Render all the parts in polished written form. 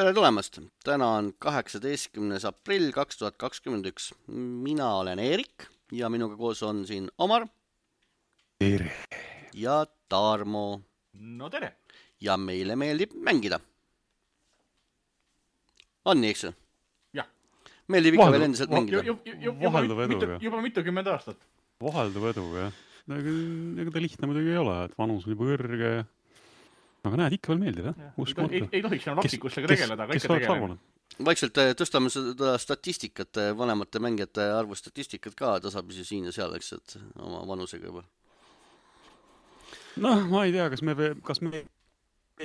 Tere tulemast! Täna on 18. aprill 2021. Mina olen Eerik ja minuga koos on siin Omar Tere. ja Tarmo. No tere! Ja meile meeldib mängida. On nii, eks? Jah. Meeldib ikka veel endiselt mängida. Vahelduv edu, jah. Juba mitukümmend aastat. Vahelduv edu, jah. Ega ta lihtne muidugi ei ole, et vanus on juba kõrge. Aga näed, ikka veel meeldib, jah? Ei tohiks enam lapsikusega tegeleda, aga ikka tegeleda. Vaikselt tõstame seda statistikat, vanemate mängijate arvu statistikat ka tasapisi siin ja seal, eks, et oma vanusega juba. Noh, ma ei tea, kas me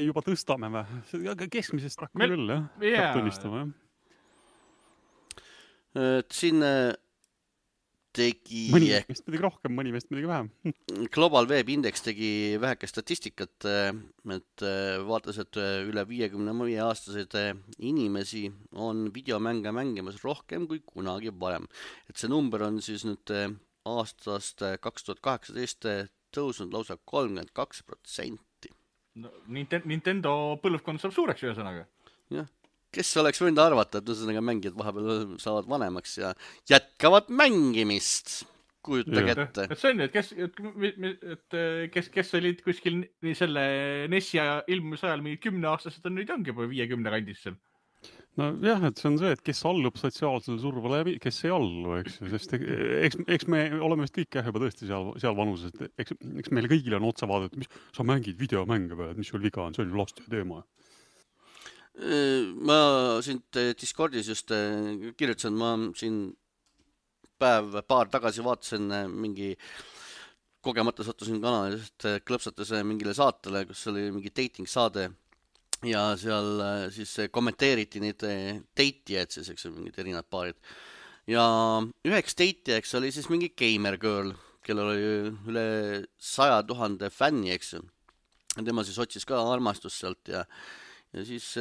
juba tõstame või? Keskmisest rakku küll, jah? Peab tunnistama, jah? Siin tegi... Mõni meist midagi rohkem, mõni meist midagi vähem. Global Web Index tegi väheke statistikat, et vaatas, et üle 55-aastaseid inimesi on videomänge mängimas rohkem kui kunagi varem. Et see number on siis nüüd aastast 2018 tõusnud lausa 32%. No, Nintendo põlvkond saab suureks ühesõnaga. Jah. Kes oleks võinud arvata, et ühesõnaga mängijad vahepeal saavad vanemaks ja jätkavad mängimist. Kujutage ette. Et see on, kes olid kuskil selle NES-i ilmumise ajal mingid 10-aastased on nüüd ongi juba 50 kandis seal. No jah, et see on see, et kes allub sotsiaalsele survele ja kes ei allu, eks. Sest eks me oleme vist kõik juba tõesti seal vanuses. Eks meile kõigile on otsa vaadata, mis sa mängid videomänge või, mis sul viga on, see on ju laste teema. Ma siin Discordis just kirjutasin, ma siin paar tagasi vaatasin mingi kogemata sattusin kanalist klõpsates mingile saatele, kus oli mingi dating saade ja seal siis kommenteeriti neid date'ijaid siis, eks mingid erinevad paarid. Ja üheks date'ijaks oli siis mingi gamer girl, kellel oli üle 100 000 fänni, eks. Tema siis otsis ka armastust sealt ja siis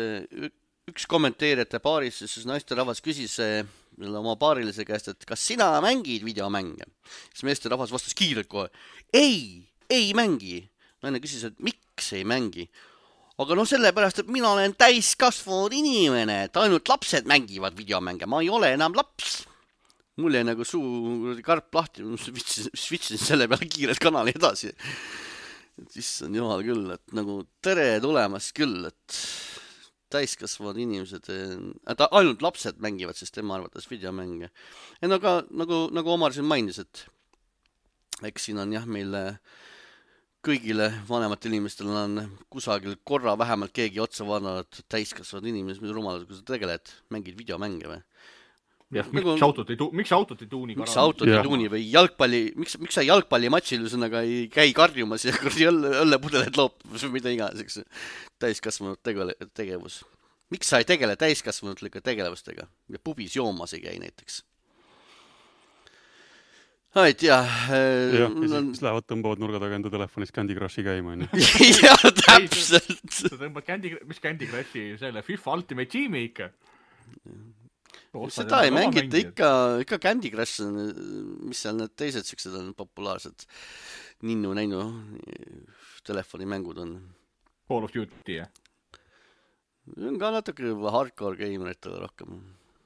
üks kommenteerijate paaris siis naisterahvas küsis oma paarilise käest, et kas sina mängid videomänge? Siis meesterahvas vastas kiirelt kohe, ei mängi. Naine küsis, et miks ei mängi? Aga sellepärast, et mina olen täiskasvanud inimene, et ainult lapsed mängivad videomänge, ma ei ole enam laps. Mul jäi nagu suu karp lahti, switchisin selle peale kiirelt kanali edasi. Siis on jumal küll, et nagu tere tulemast küll, et täiskasvanud inimesed, et ainult lapsed mängivad, sest tema arvates videomänge. Ja nagu Omar siin mainis, et eks siin on jah meil kõigile vanematel inimestel on kusagil korra vähemalt keegi otsa vaadanud täiskasvanud inimesed, mis rumalad, kui sa tegeled, mängid videomänge või? Jah, miks autot ei tuuni? Miks autot ei tuuni või jalgpalli, miks sa jalgpallimatšil ühesõnaga ei käi karjumas ja õllepudeled loopus või mida iganes, eks täiskasvanud tegevus. Miks sa ei tegele täiskasvanulike tegevustega ja pubis joomas ei käi näiteks? Ei tea. Ja siis lähevad tõmbavad nurga taga enda telefonis Candy Crushi käima. Ja täpselt. Sa tõmbad mis Candy Crushi selle FIFA Ultimate Teami ikka? Seda ei mängita ikka Candy Crush, mis seal need teised siuksed on populaarsed ninnu-näinu telefonimängud on. Call of Duty, jah? On ka natuke hardcore gameritele rohkem.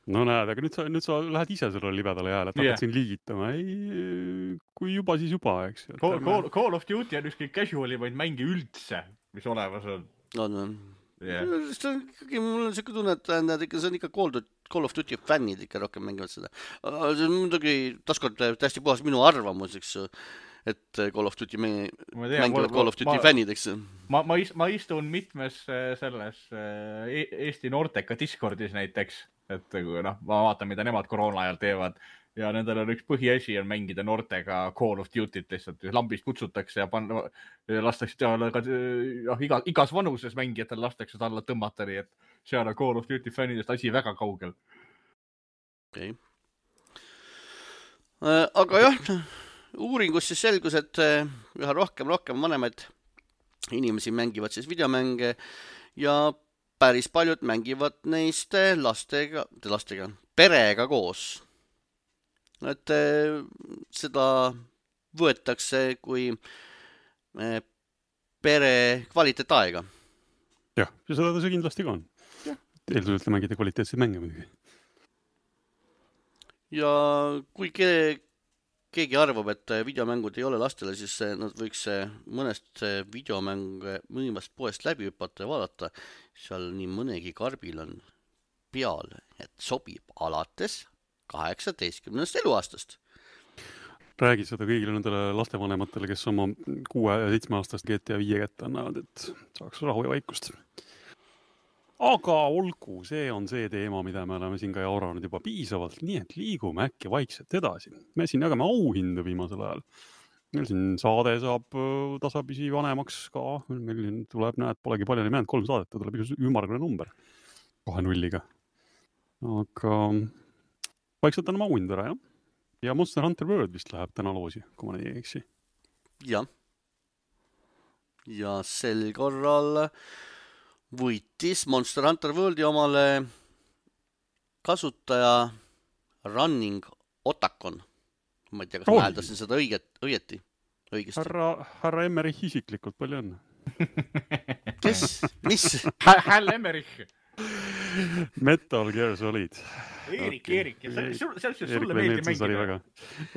No näed, aga nüüd sa lähed ise selle libedale jääle, et hakkad siin liigitama. Ei, kui juba, siis juba, eks. Call of Duty on ükski casualimaid mänge üldse, mis olemas on. On. Mul on siuke tunne, et see on ikka Call of Duty fännid ikka rohkem mängivad seda. See on muidugi taaskord täiesti puhas minu arvamus, eks, et Call of Duty mängivad Call of Duty fännid, eks. Ma istun mitmes selles Eesti Norteka Discordis näiteks, et ma vaatan, mida nemad koroona ajal teevad ja nendel on üks põhiasi on mängida Nortega Call of Duty't lihtsalt. Lambist kutsutakse ja lastakse igas vanuses mängijatel lastakse alla tõmmata, nii et seal on Call of Duty fännidest asi väga kaugel. Okay. Aga jah, uuringus siis selgus, et üha rohkem vanemaid inimesi mängivad siis videomänge ja päris paljud mängivad neist lastega, perega koos. Et seda võetakse kui pere kvaliteetaega. Jah, ja seda see kindlasti ka on. eeldusel, et mängida kvaliteetseid mänge muidugi. Ja kui keegi arvab, et videomängud ei ole lastele, siis nad võiks mõnest videomänge mõnimast poest läbi hüpata ja vaadata. Seal nii mõnegi karbil on peal, et sobib alates 18. eluaastast. Räägi seda kõigile nendele lastevanematele, kes oma 6- ja 7-aastast GTA 5 kätte annavad, et saaks rahu ja vaikust. Aga olgu, see on see teema, mida me oleme siin ka jauranud juba piisavalt, nii et liigume äkki vaikselt edasi. Me siin jagame auhindu viimasel ajal. Meil siin saade saab tasapisi vanemaks ka. Meil tuleb, näed, polegi palju jäänud 3 saadet, tuleb üks ümmargune number 2 nulliga. Aga vaikselt anname auhindu ära, jah? Ja Monster Hunter World vist läheb täna loosi, kui ma ei eksi. Ja sel korral võitis Monster Hunter Worldi omale kasutaja Running Otakon. Ma ei tea, kas ma hääldasin seda õigesti. Härra Emmerich isiklikult, palju õnne. Kes? Mis? Hal Emmerich. Metal Gear Solid. Erik. Sulle meeldi mängida.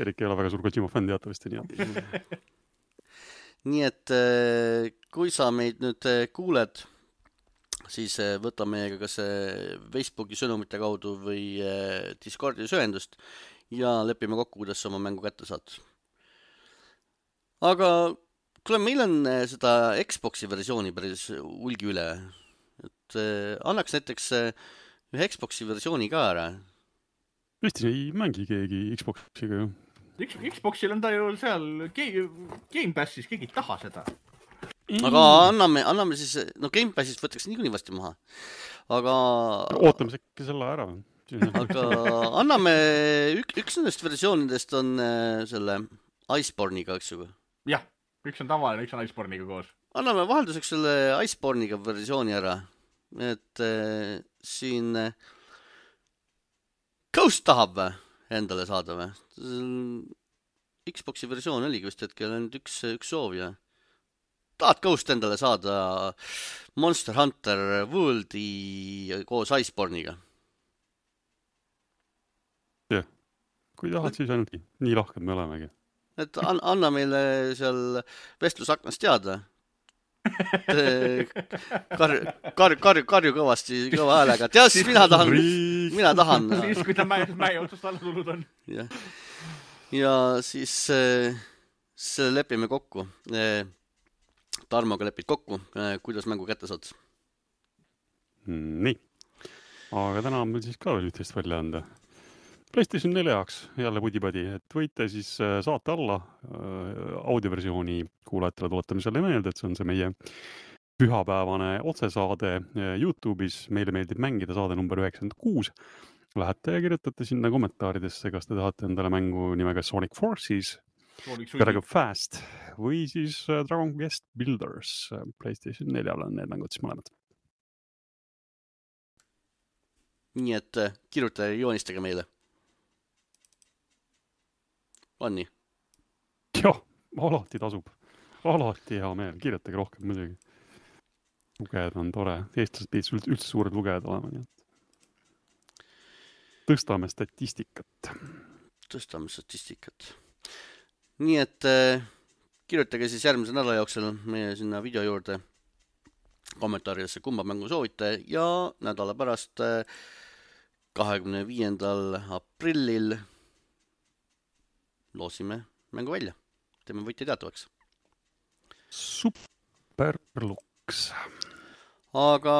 Erik ei ole väga suur Kojima fänn teatavasti. Nii et kui sa meid nüüd kuuled, siis võta meiega kas Facebooki sõnumite kaudu või Discordi ühendust ja lepime kokku, kuidas sa oma mängu kätte saad. Aga kuule, meil on seda Xboxi versiooni päris hulgi üle. Et annaks näiteks ühe Xboxi versiooni ka ära. Eestis ei mängi keegi Xboxiga ju. Xboxil on ta ju seal Game Passis, keegi ei taha seda. Aga anname siis, no Game Passist võtaks niikuinii vasti maha. Aga ootame sekki selle ära. Aga anname üks nendest versioonidest on selle Iceborne'iga, eks ju? Jah, üks on tavaline, üks on Iceborne'iga koos. Anname vahelduseks selle Iceborne'iga versiooni ära. Et siin Ghost tahab endale saada või? Xboxi versioon oligi vist hetkel ainult üks soov ja tahad Ghost endale saada Monster Hunter Worldi koos Iceborne'iga? Jah, kui tahad, siis ainult nii lahked me olemegi. Et anna meile seal vestlusaknast teada. Karju kõvasti kõva häälega. Tea, siis mina tahan. Siis, kui ta mäe otsast alla tulnud on. Ja siis selle lepime kokku. Tarmoga lepid kokku, kuidas mängu kätte saad. Nii. Aga täna on meil siis ka veel ühtest välja anda. PlayStation 4 jaoks jälle pudipadi, et võite siis saate alla audioversiooni kuulajatele tuletame selle meelde, et see on see meie pühapäevane otsesaade YouTube'is. Meile meeldib mängida saade number 96. Lähete ja kirjutate sinna kommentaaridesse, kas te tahate endale mängu nimega Sonic Forces, Dragon Fast või siis Dragon Quest Builders. PlayStation 4 on need mängud siis mõlemad. Nii et kirjuta ja joonistage meile. On nii? Jah, alati tasub. Alati hea meel. Kirjutage rohkem muidugi. Lugejad on tore. Eestlased pidid üldse suured lugejad olema. Tõstame statistikat. Nii et kirjutage siis järgmise nädala jooksul meie sinna video juurde kommentaaridesse, kumba mängu soovite ja nädala pärast 25. aprillil loosime mängu välja. Teeme võitja teatavaks. Superluks. Aga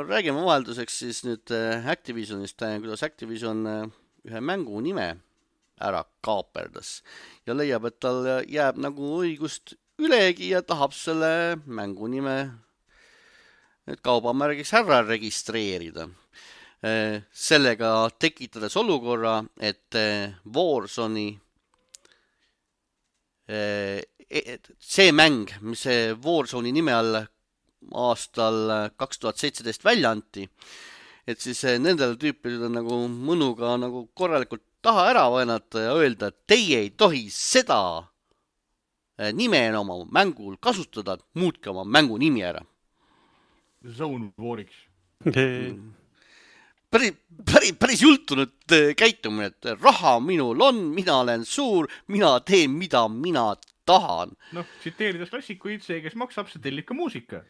räägime vahelduseks siis nüüd Activisionist, kuidas Activision ühe mängu nime ära kaaperdas ja leiab, et tal jääb nagu õigust ülegi ja tahab selle mängu nime kaubamärgiks ära registreerida. Sellega tekitades olukorra, et Warzone'i see mäng, mis see Warzone'i nime all aastal 2017 välja anti, et siis nendel tüüpidel nagu mõnuga nagu korralikult taha ära vaenata ja öelda, et teie ei tohi seda nime enam oma mängul kasutada, muutke oma mängu nimi ära. Zone Wariks. päris jultunud käitumine, et raha minul on, mina olen suur, mina teen, mida mina tahan. Noh, tsiteerides klassikuid, see, kes maksab, see tellib ka muusika.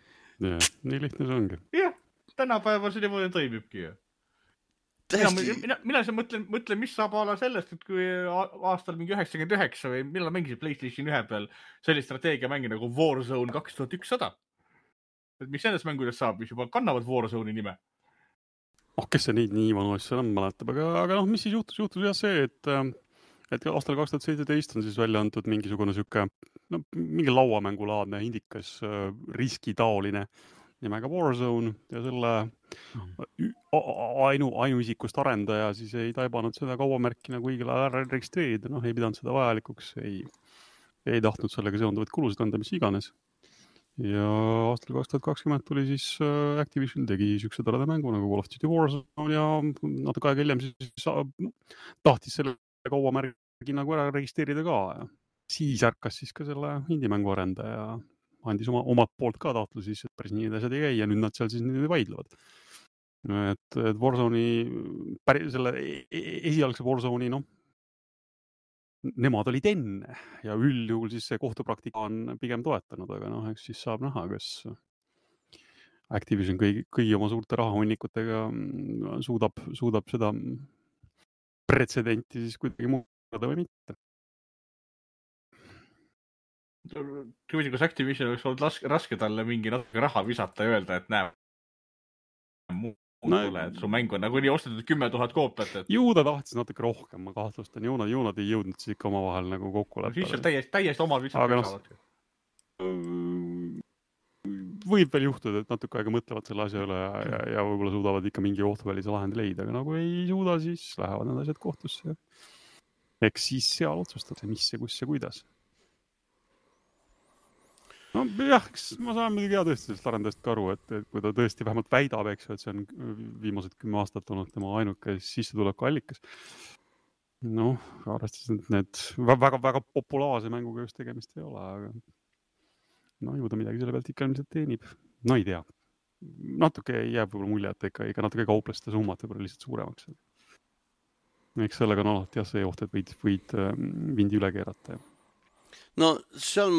Ja, nii lihtne see ongi. Jah, tänapäeval see niimoodi toimibki. Mina mõtlen, mis saab ala sellest, et kui aastal mingi 99 või millal mängisid PlayStation 1 peal sellist strateegiamängi nagu Warzone 2100. Et mis nendest mängudest saab, mis juba kannavad Warzone'i nime? Kes see nii vanu asja enam mäletab, aga mis siis juhtus jah see, et aastal 2017 on siis välja antud mingisugune siuke, mingi lauamängulaadne indikas riskitaoline nimega Warzone ja selle ainuisikust arendaja siis ei taibanud seda kaubamärki nagu õigel ajal registreerida, ei pidanud seda vajalikuks, ei tahtnud sellega seonduvaid kulusid anda, mis iganes. Ja aastal 2020 tuli siis Activision tegi siukse toreda mängu nagu Call of Duty Warzone ja natuke aega hiljem siis tahtis selle kaubamärgi nagu ära registreerida ka. Ja siis ärkas siis ka selle indie-mängu arendaja andis omad poolt ka tahtlusi, et päris nii asjad ei käi ja nüüd nad seal siis niimoodi vaidlevad. Et Warzone'i, selle esialgse Warzone'i, nemad olid enne ja üldjuhul siis see kohtupraktika on pigem toetanud, aga eks siis saab näha, kas Activision kõigi oma suurte rahahunnikutega suudab seda pretsedenti siis kuidagi muuta või mitte. Kui kas Activision oleks olnud raske talle mingi natuke raha visata ja öelda, et näe, mulle, et su mäng on nagu nii ostetud 10 000 koopiat. Et... Ju ta tahtis natuke rohkem, ma kahtlustan. Ju nad ei jõudnud siis ikka omavahel nagu kokkuleppele. Siis on täiesti omal visat saavad. Võib veel juhtuda, et natuke aega mõtlevad selle asja üle ja võib-olla suudavad ikka mingi kohtuvälise lahendi leida, aga nagu ei suuda, siis lähevad need asjad kohtusse. Eks siis seal otsustada, mis ja kus ja kuidas. Jah, ma saan muidugi tõesti sellest arendajast ka aru, et kui ta tõesti vähemalt väidab, eks, et see on viimased 10 aastat olnud tema ainuke sissetuleku allikas. Arvestades, et need väga populaarse mänguga just tegemist ei ole, aga ju ta midagi selle pealt ikka ilmselt teenib. Ei tea. Natuke jääb võib-olla mulje, et ikka natuke kaupleste summat võib-olla lihtsalt suuremaks. Eks sellega on alati see oht, et võid vindi üle keerata. Seal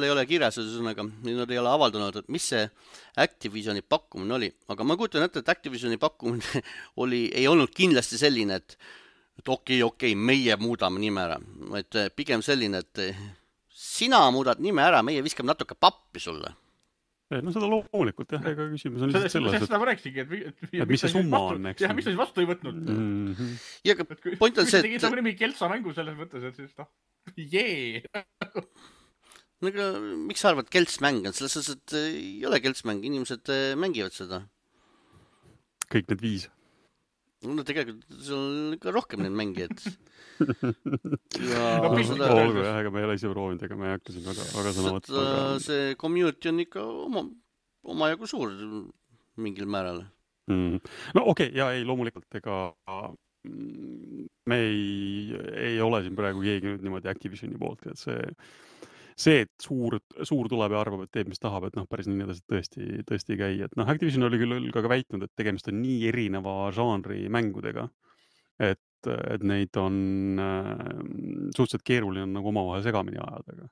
ei ole kirjas, ühesõnaga, nad ei ole avaldanud, et mis see Activisioni pakkumine oli, aga ma kujutan ette, et Activisioni pakkumine ei olnud kindlasti selline, et okei, meie muudame nime ära, et pigem selline, et sina muudad nime ära, meie viskame natuke pappi sulle. Seda loomulikult, jah, ega küsimus on lihtsalt selles, seda ma rääkisigi, et mis see summa on, eks. Jah, mis ta siis vastu ei võtnud. Ja point on see, et... Kui sa tegid nimi Kelsa mängu selles mõttes, et siis miks sa arvad, keltsmäng on? Selles mõttes, et ei ole keltsmäng, inimesed mängivad seda. Kõik need 5. Tegelikult see on ikka rohkem need mängijad. Olgu, jah, ega me ei ole ise proovinud, ega me ei hakka siin väga sõna võtta. See community on ikka omajagu suur mingil määral. Okei, ja ei, loomulikult, ega me ei ole siin praegu keegi nüüd niimoodi Activisioni poolt, et see, et suur tuleb ja arvab, et teeb, mis tahab, et päris nii tõesti ei käi. Et Activision oli küll ka väitnud, et tegemist on nii erineva žanri mängudega, et neid on suhteliselt keeruline nagu omavahel segamini ajada.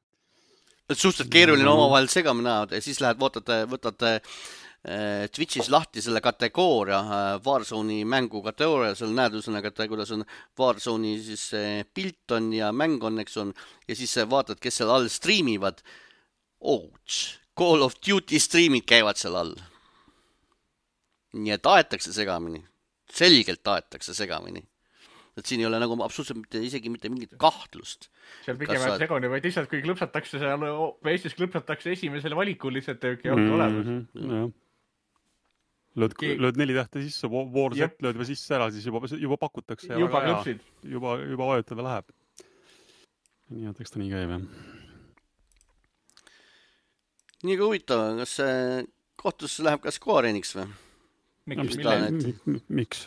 Suhteliselt keeruline omavahel segamini ajada ja siis lähed, võtate Twitch'is lahti selle kategooria, Warzone'i mängu kategooria, seal näed üsõnaga, kuidas on Warzone'i siis pilt on ja mäng on, eks on, ja siis vaatad, kes seal all striimivad. Call of Duty striimid käivad seal all. Nii et aetakse segamini. Selgelt aetakse segamini. Et siin ei ole nagu absoluutselt isegi mitte mingit kahtlust. Seal pigem on segoni, vaid lihtsalt kui klõpsatakse seal, Eestis klõpsatakse esimesele valikul lihtsalt ei ole olemas. Lööd 4 tähte sisse, Warset lööd või sisse ära, siis juba pakutakse. Juba klõpsid. Juba vajutada läheb. Nii, et eks ta nii käib, jah. Nii ka huvitav, kas kohtusse läheb ka Square Enix või? Miks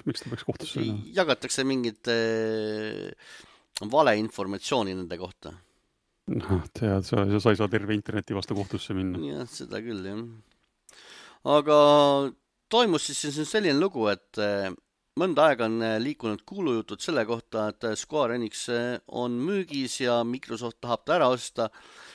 ta peaks kohtusse? Jagatakse mingit valeinformatsiooni nende kohta. Tead, sa ei saa terve interneti vastu kohtusse minna. Jah, seda küll, jah. Aga toimus siis selline lugu, et mõnda aega on liikunud kuulujutud selle kohta, et Square Enix on müügis ja Microsoft tahab ta ära osta.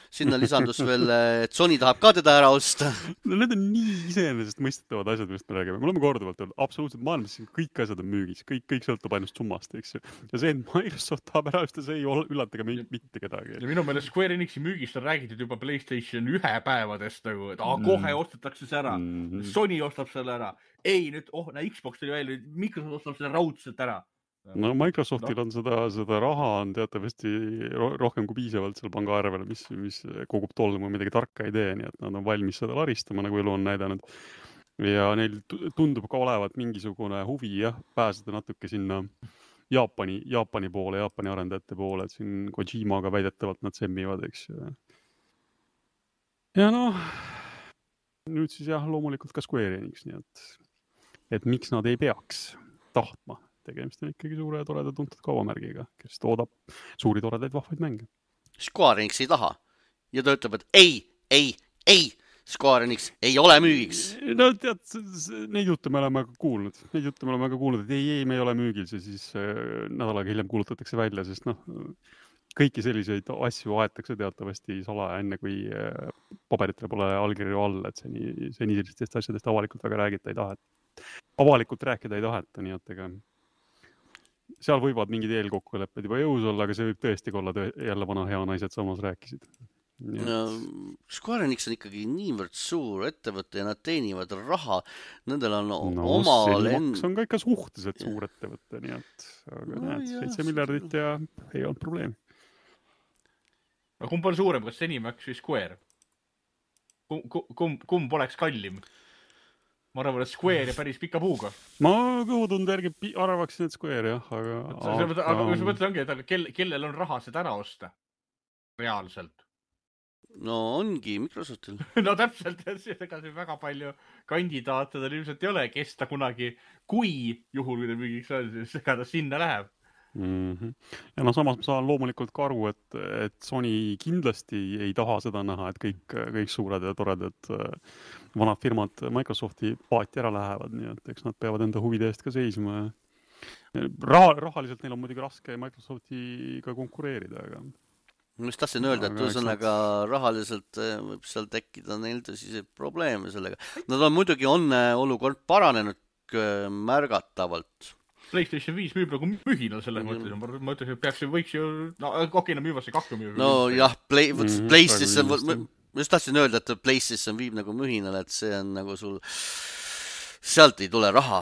Sinna lisandus veel, et Sony tahab ka teda ära osta. No need on nii iseenesestmõistetavad asjad, millest me räägime. Me oleme korduvalt öelnud, absoluutselt maailmas kõik asjad on müügis, kõik sõltub ainult summast, eks ju. Ja see, et Microsoft tahab ära osta, see ei üllatega mitte kedagi. Ja minu meelest Square Enixi müügist on räägitud juba PlayStation 1 päevadest, nagu, et kohe ostetakse see ära. Sony ostab selle ära. Ei, nüüd, Xbox tuli välja, Microsoft ostab selle raudselt ära. No Microsoftil on seda raha on teatavasti rohkem kui piisavalt seal panga arvel, mis kogub tolmu midagi tarka ei tee, nii et nad on valmis seda laristama, nagu elu on näidanud. Ja neil tundub ka olevat mingisugune huvi, pääseda natuke sinna Jaapani poole, Jaapani arendajate poole, et siin Kojimaga väidetavalt nad semmivad, eks. Ja nüüd siis loomulikult ka Square Enix, nii et miks nad ei peaks tahtma. Tegemist on ikkagi suure ja toreda tuntud kaubamärgiga, kes toodab suuri toredaid vahvaid mänge. Square Enix ei taha. Ja ta ütleb, et ei, Square Enix ei ole müügiks. No tead, neid jutte me oleme ka kuulnud. Et ei, me ei ole müügil, see siis nädalaga hiljem kuulutatakse välja, sest kõiki selliseid asju aetakse teatavasti salaja enne, kui paberitele pole allkirju all, et seni sellistest asjadest avalikult väga räägida ei taheta. Avalikult rääkida ei taheta, nii et ega seal võivad mingid eelkokkulepped juba jõus olla, aga see võib tõesti olla jälle vana hea naised samas rääkisid. No, Square Enix on ikkagi niivõrd suur ettevõte ja nad teenivad raha. Nendel on oma Maks on ka ikka suhteliselt suur ettevõte, nii et aga 7 miljardit ja ei olnud probleemi. No kumb on suurem, kas Zenimax või Square? Kumb oleks kallim? Ma arvan, et Square ja päris pika puuga. Ma kõhutunde järgi arvaksin, et Square, jah. Aga mis mõttes ongi, et kellel on raha seda ära osta? Reaalselt. No ongi Microsoftil. No täpselt, ega see väga palju kandidaate tal ilmselt ei ole, kes ta kunagi, kui juhul, kui ta müügiks on, siis ega ta sinna läheb. Ja samas ma saan loomulikult ka aru, et Sony kindlasti ei taha seda näha, et kõik suured ja toredad vanad firmad Microsofti paati ära lähevad, nii et eks nad peavad enda huvide eest ka seisma. Rahaliselt neil on muidugi raske Microsoftiga konkureerida, aga ma just tahtsin öelda, et ühesõnaga rahaliselt võib seal tekkida neil tõsiseid probleeme sellega. Nad on muidugi olukord paranenud märgatavalt. PlayStation 5 müüb nagu mühinal selles mõttes. Ma ütlen, et võiks ju... Okei, müüvasse kakku müüb. No jah, PlayStation... Ma just tahtsin öelda, et PlayStation viib nagu mühinal, et see on nagu sul... Sealt ei tule raha.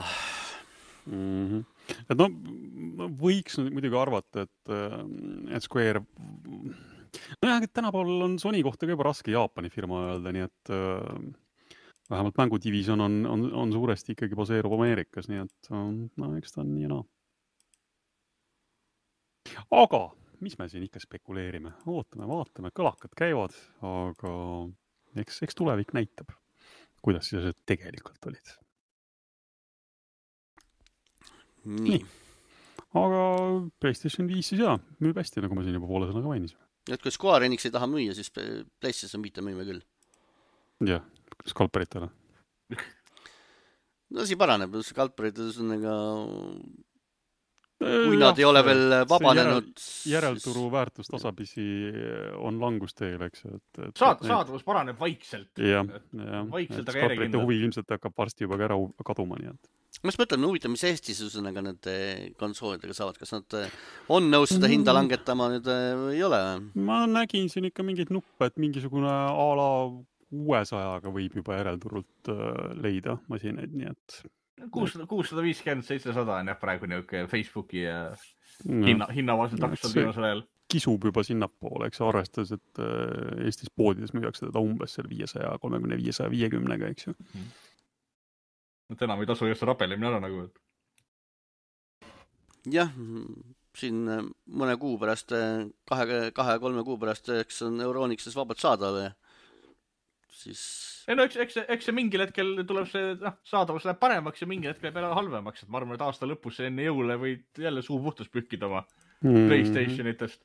Et võiks muidugi arvata, et Square... et tänapäeval on Sony kohta ka juba raske Jaapani firma öelda, nii et... Vähemalt mängudivision on suuresti ikkagi baseerub Ameerikas, nii et eks ta on nii ja Aga mis me siin ikka spekuleerime? Ootame, vaatame, kõlakad käivad, aga eks tulevik näitab, kuidas siis asjad tegelikult olid. Nii. Aga PlayStation 5 siis müüb hästi, nagu ma siin juba poole sõnaga mainisin. Et kui Square Enix ei taha müüa, siis PlayStation 5 müüme küll. Jah. Skalperitele. No see paraneb, skalperid kui nad ei ole veel vabanenud. Järelturu väärtus tasapisi on langusteel, eks. Saadavus paraneb vaikselt. Vaikselt, aga skalperite huvi ilmselt hakkab varsti juba ära kaduma, nii et. Ma just mõtlen, huvitav, mis Eestis need konsoolidega saavad, kas nad on nõus seda hinda langetama nüüd või ei ole? Ma nägin siin ikka mingeid nuppe, et mingisugune ala 600-ga võib juba järelturult leida masinaid, nii et 650-700 on praegu niisugune Facebooki hinnavaselt taksol viimasel ajal. Kisub juba sinnapoole, eks arvestades, et Eestis poodides müüakse teda umbes 530-550-ga, eks ju. Enam ei tasu just rapelemine ära nagu. Jah, siin mõne kuu pärast, 2-3 kuu pärast, eks on Euronixis vabalt saada või? Siis... No, eks see mingil hetkel tuleb see saadavus läheb paremaks ja mingil hetkel peale halvemaks. Et ma arvan, et aasta lõpus enne jõule võid jälle suu puhtus pühkida oma PlayStationitest.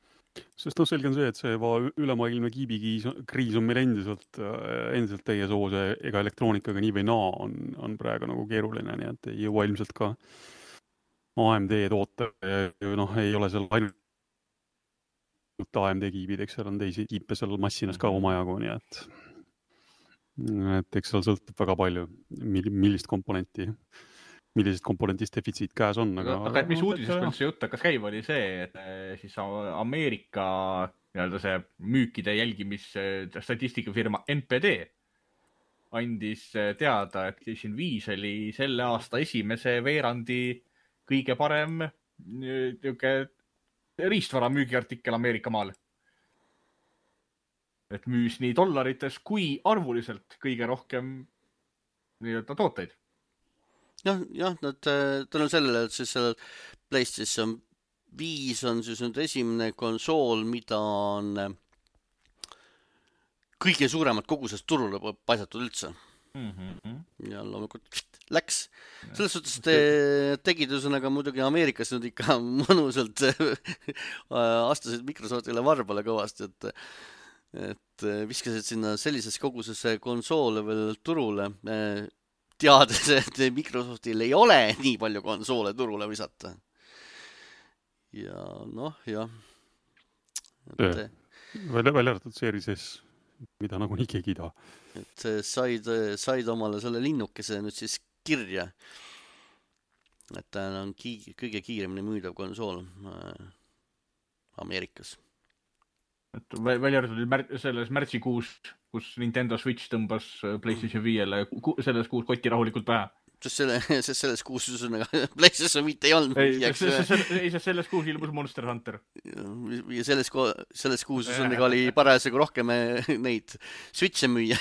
Sest selge on see, et see ülemaailmne kiibikriis on meil endiselt täies hoos, ega elektroonikaga nii või naa on praegu nagu keeruline, nii et ei jõua ilmselt ka AMD toote, ei ole seal ainult AMD kiibid, eks seal on teisi kiipe seal massinas ka omajagu, nii et eks seal sõltub väga palju, millisest komponentist defitsiit käes on. Aga mis uudisest meil see jutt hakkas käima, oli see, et siis Ameerika see müükide jälgimisstatistikafirma NPD andis teada, et PlayStation 5 oli selle aasta esimese veerandi kõige parem riistvara müügiartikkel Ameerika maal. Et müüs nii dollarites kui arvuliselt kõige rohkem tooteid. Jah, tänu sellele, et siis seal PlayStation 5 on siis nüüd esimene konsool, mida on kõige suuremad kogusest turule paisatud üldse. Ja loomulikult läks. Selles suhtes tegid üsõnaga muidugi Ameerikas nüüd ikka mõnusalt astasid Microsoftile varbale kõvasti, et viskasid sinna sellises koguses konsoole veel turule, teades, et Microsoftil ei ole nii palju konsoole turule visata. Ja jah. Välja arvatud Series S, mida nagunii keegi ei taha. Et said omale selle linnukese nüüd siis kirja, et ta on kõige kiiremini müüdav konsool Ameerikas. Et välja arvatud selles märtsikuus, kus Nintendo Switch tõmbas PlayStation 5-le selles kuus kotti rahulikult pähe. Selles kuus PlayStation 5 ei olnud. Selles kuus ilmus Monster Hunter. Ja selles kuus oli parasjagu rohkem neid Switche müüa.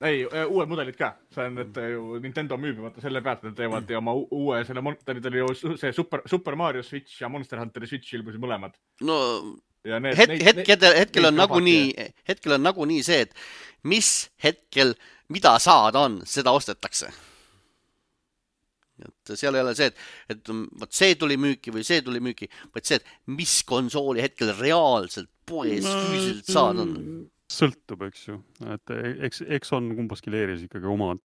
Ei, uued mudelid ka. See on, et Nintendo müüb selle pealt, et teevad ja oma uue, see Super Mario Switch ja Monster Hunteri Switch ilmusid mõlemad. No, hetkel on nagunii see, et mis hetkel, mida saada on, seda ostetakse. Et seal ei ole see, et see tuli müüki või see tuli müüki, vaid see, et mis konsooli hetkel reaalselt poes füüsiliselt saada on. Sõltub, eks ju. Et eks on kumbaski leeris ikkagi omad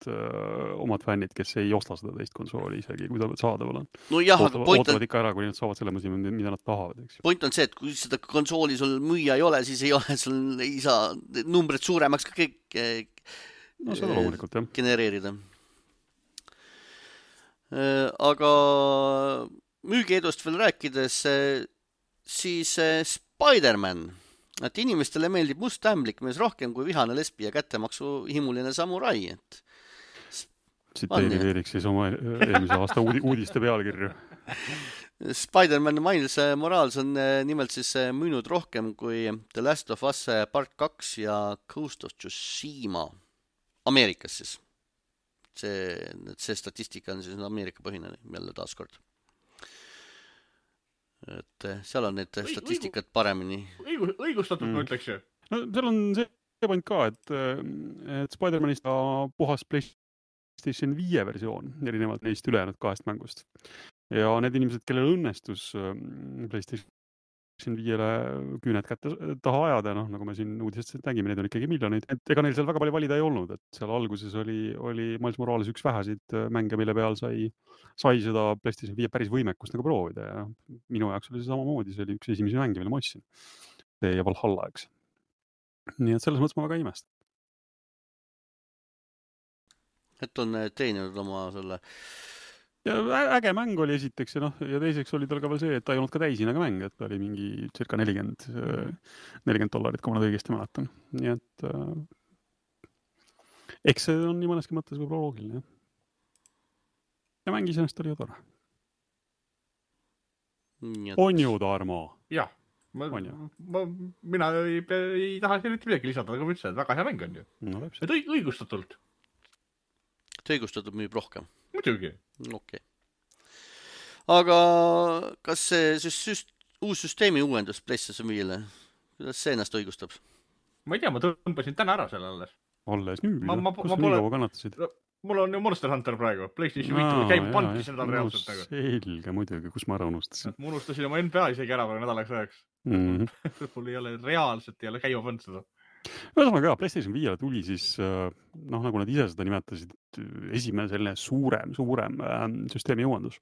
fännid, kes ei osta seda teist konsooli isegi, kui ta saadaval on. No jah, aga ootavad ikka ära, kui nad saavad selle mõsi, mida nad tahavad, eks ju. Point on see, et kui seda konsooli sul müüa ei ole, siis ei saa numbrid suuremaks ka kõik seda loomulikult, jah. Genereerida. Aga müügiedust veel rääkides, siis Spider-Man, et inimestele meeldib must ämblik mees rohkem kui vihane lesbi ja kättemaksu himuline samurai. Tsiteeriks siis oma eelmise aasta uudiste pealkirju. Spider-Man Miles Morales on nimelt siis müünud rohkem kui The Last of Us Part 2 ja Ghost of Tsushima Ameerikas siis. See statistika on siis Ameerika põhine jälle taaskord. Et seal on need statistikat paremini. Õigustatud, ma ütleks ju. No, seal on see point ka, et Spider-Manist puhas PlayStation 5 versioon, erinevalt neist ülejäänud 2 mängust. Ja need inimesed, kellel õnnestus PlayStation 5-le küüned kätte taha ajada, nagu me siin uudisest nägime, need on ikkagi miljoneid. Et ega neil seal väga palju valida ei olnud, et seal alguses oli Miles Morales üks vähesid mänge, mille peal sai seda PlayStation 5 päris võimekust nagu proovida ja minu jaoks oli see samamoodi, see oli üks esimesi mänge, mille ma ostsin. See ja Valhalla, eks. Nii et selles mõttes ma väga imest. Et on teeninud oma selle... Ja äge mäng oli esiteks ja teiseks oli tal ka veel see, et ta ei olnud ka täisinaga mäng, et ta oli mingi circa $40, kui ma nad õigesti mäletan. Nii et eks see on nii mõneski mõttes võib-olla loogiline. Ja mängis ennast oli ju tore. On ju, Tarmo? Jah, mina ei taha siin midagi lisada, aga ma ütlesin, et väga hea mäng on ju. No, et õigustatult. Et õigustatud müüb rohkem? Muidugi. Okay. Aga kas see uus süsteemi uuendus PlayStation 5-le, kuidas see ennast õigustab? Ma ei tea, ma tõmbasin täna ära selle alles. Alles nüüd, kus nii kaua kannatasid? Mul on ju Monster Hunter praegu, PlayStation 5 käib panki seda reaalselt. Selge muidugi, kus ma ära unustasin. Ma unustasin oma NBA isegi ära nädalaks ajaks. Mul ei ole reaalselt käima pannud seda. Ühesõnaga, PlayStation 5 tuli siis, nagu nad ise seda nimetasid, esimene selline suurem süsteemi jõuandus.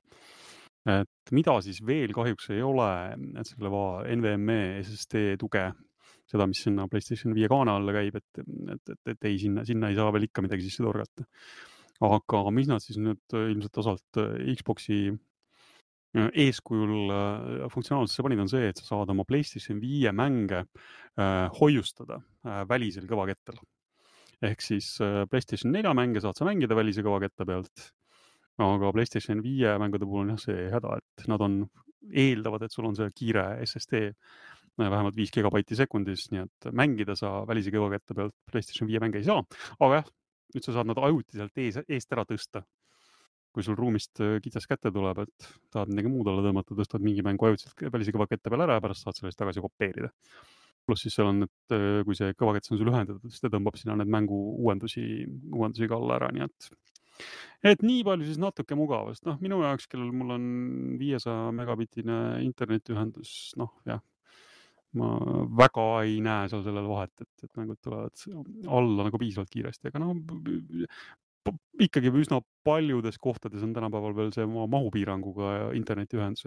Et mida siis veel kahjuks ei ole, et selle NVMe SSD tuge, seda, mis sinna PlayStation 5 kaane alla käib, et ei, sinna ei saa veel ikka midagi sisse torgata. Aga mis nad siis nüüd ilmselt osalt Xboxi eeskujul funktsionaalsesse panid on see, et sa saad oma PlayStation 5 mänge hoiustada välisel kõvakettal. Ehk siis PlayStation 4 mänge saad sa mängida välise kõvaketta pealt, aga PlayStation 5 mängude puhul on see häda, et nad eeldavad, et sul on see kiire SSD vähemalt 5 gigabaiti sekundis, nii et mängida sa välise kõvaketta pealt PlayStation 5 mänge ei saa, aga jah, nüüd sa saad nad ajutiselt eest ära tõsta. Kui sul ruumist kitsas kätte tuleb, et tahad midagi muud alla tõmmata, tõstad mingi mängu ajutiselt välise kõvakette peale ära ja pärast saad sellest tagasi kopeerida. Pluss siis seal on, et kui see kõvakett on sul ühendatud, siis ta tõmbab sinna need mängu uuendusi ka alla ära, nii et nii palju siis natuke mugavast. Minu jaoks, kellel mul on 500 megabitine internetiühendus, jah, ma väga ei näe seal sellel vahet, et mängud tulevad alla nagu piisavalt kiiresti, aga ikkagi üsna paljudes kohtades on tänapäeval veel see mahupiiranguga internetiühendus,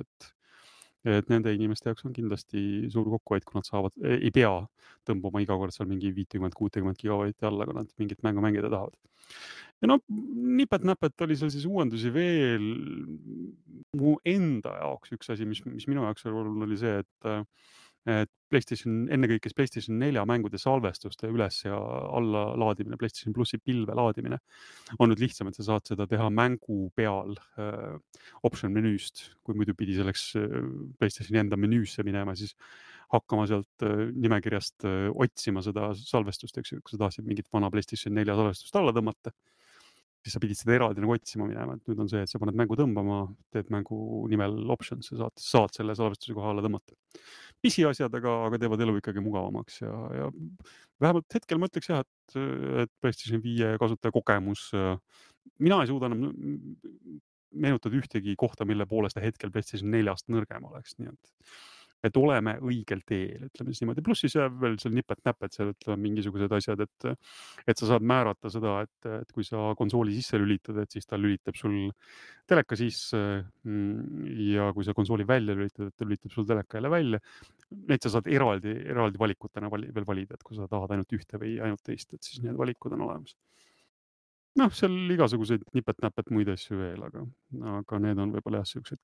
et nende inimeste jaoks on kindlasti suur kokkuhoid, kui nad ei pea tõmbama iga kord seal mingi 50-60 gigabaiti alla, kui nad mingit mängu mängida tahavad. Ja nipet-näpet oli seal siis uuendusi veel. Mu enda jaoks üks asi, mis minu jaoks oli see, et ennekõikes PlayStation 4 mängude salvestuste üles ja alla laadimine, PlayStation Plussi pilve laadimine on nüüd lihtsam, et sa saad seda teha mängu peal option menüüst, kui muidu pidi selleks PlayStationi enda menüüsse minema, siis hakkama sealt nimekirjast otsima seda salvestust, eks ju, kui sa tahtsid mingit vana PlayStation 4 salvestust alla tõmmata, siis sa pidid seda eraldi nagu otsima minema, et nüüd on see, et sa paned mängu tõmbama, teed mängu nimel options ja saad selle salvestuse koha alla tõmmata. Pisiasjad, aga teevad elu ikkagi mugavamaks ja vähemalt hetkel ma ütleks jah, et PlayStation 5 kasutaja kogemus, mina ei suuda enam meenutada ühtegi kohta, mille poolest ta hetkel PlayStation 4-st nõrgem oleks, nii et oleme õigel teel, ütleme siis niimoodi. Pluss siis veel seal nipet-näpet seal, ütleme mingisugused asjad, et sa saad määrata seda, et kui sa konsooli sisse lülitad, et siis ta lülitab sul teleka sisse ja kui sa konsooli välja lülitad, et ta lülitab sul teleka jälle välja. Neid sa saad eraldi valikutena veel valida, et kui sa tahad ainult ühte või ainult teist, et siis need valikud on olemas. Seal igasuguseid nipet-näpet muid asju veel, aga need on võib-olla jah, sellised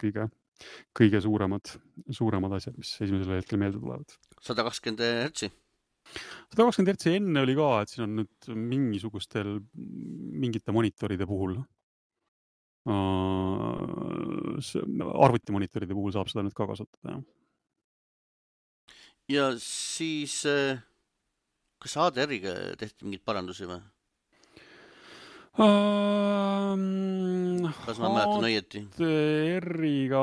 kõige suuremad asjad, mis esimesel hetkel meelde tulevad. 120 hertsi? 120 hertsi enne oli ka, et siin on nüüd mingite monitoride puhul, arvutimonitoride puhul saab seda nüüd ka kasutada. Ja siis, kas HDR-iga tehti mingid parandusi või? Kas ma mäletan õieti? HDR-iga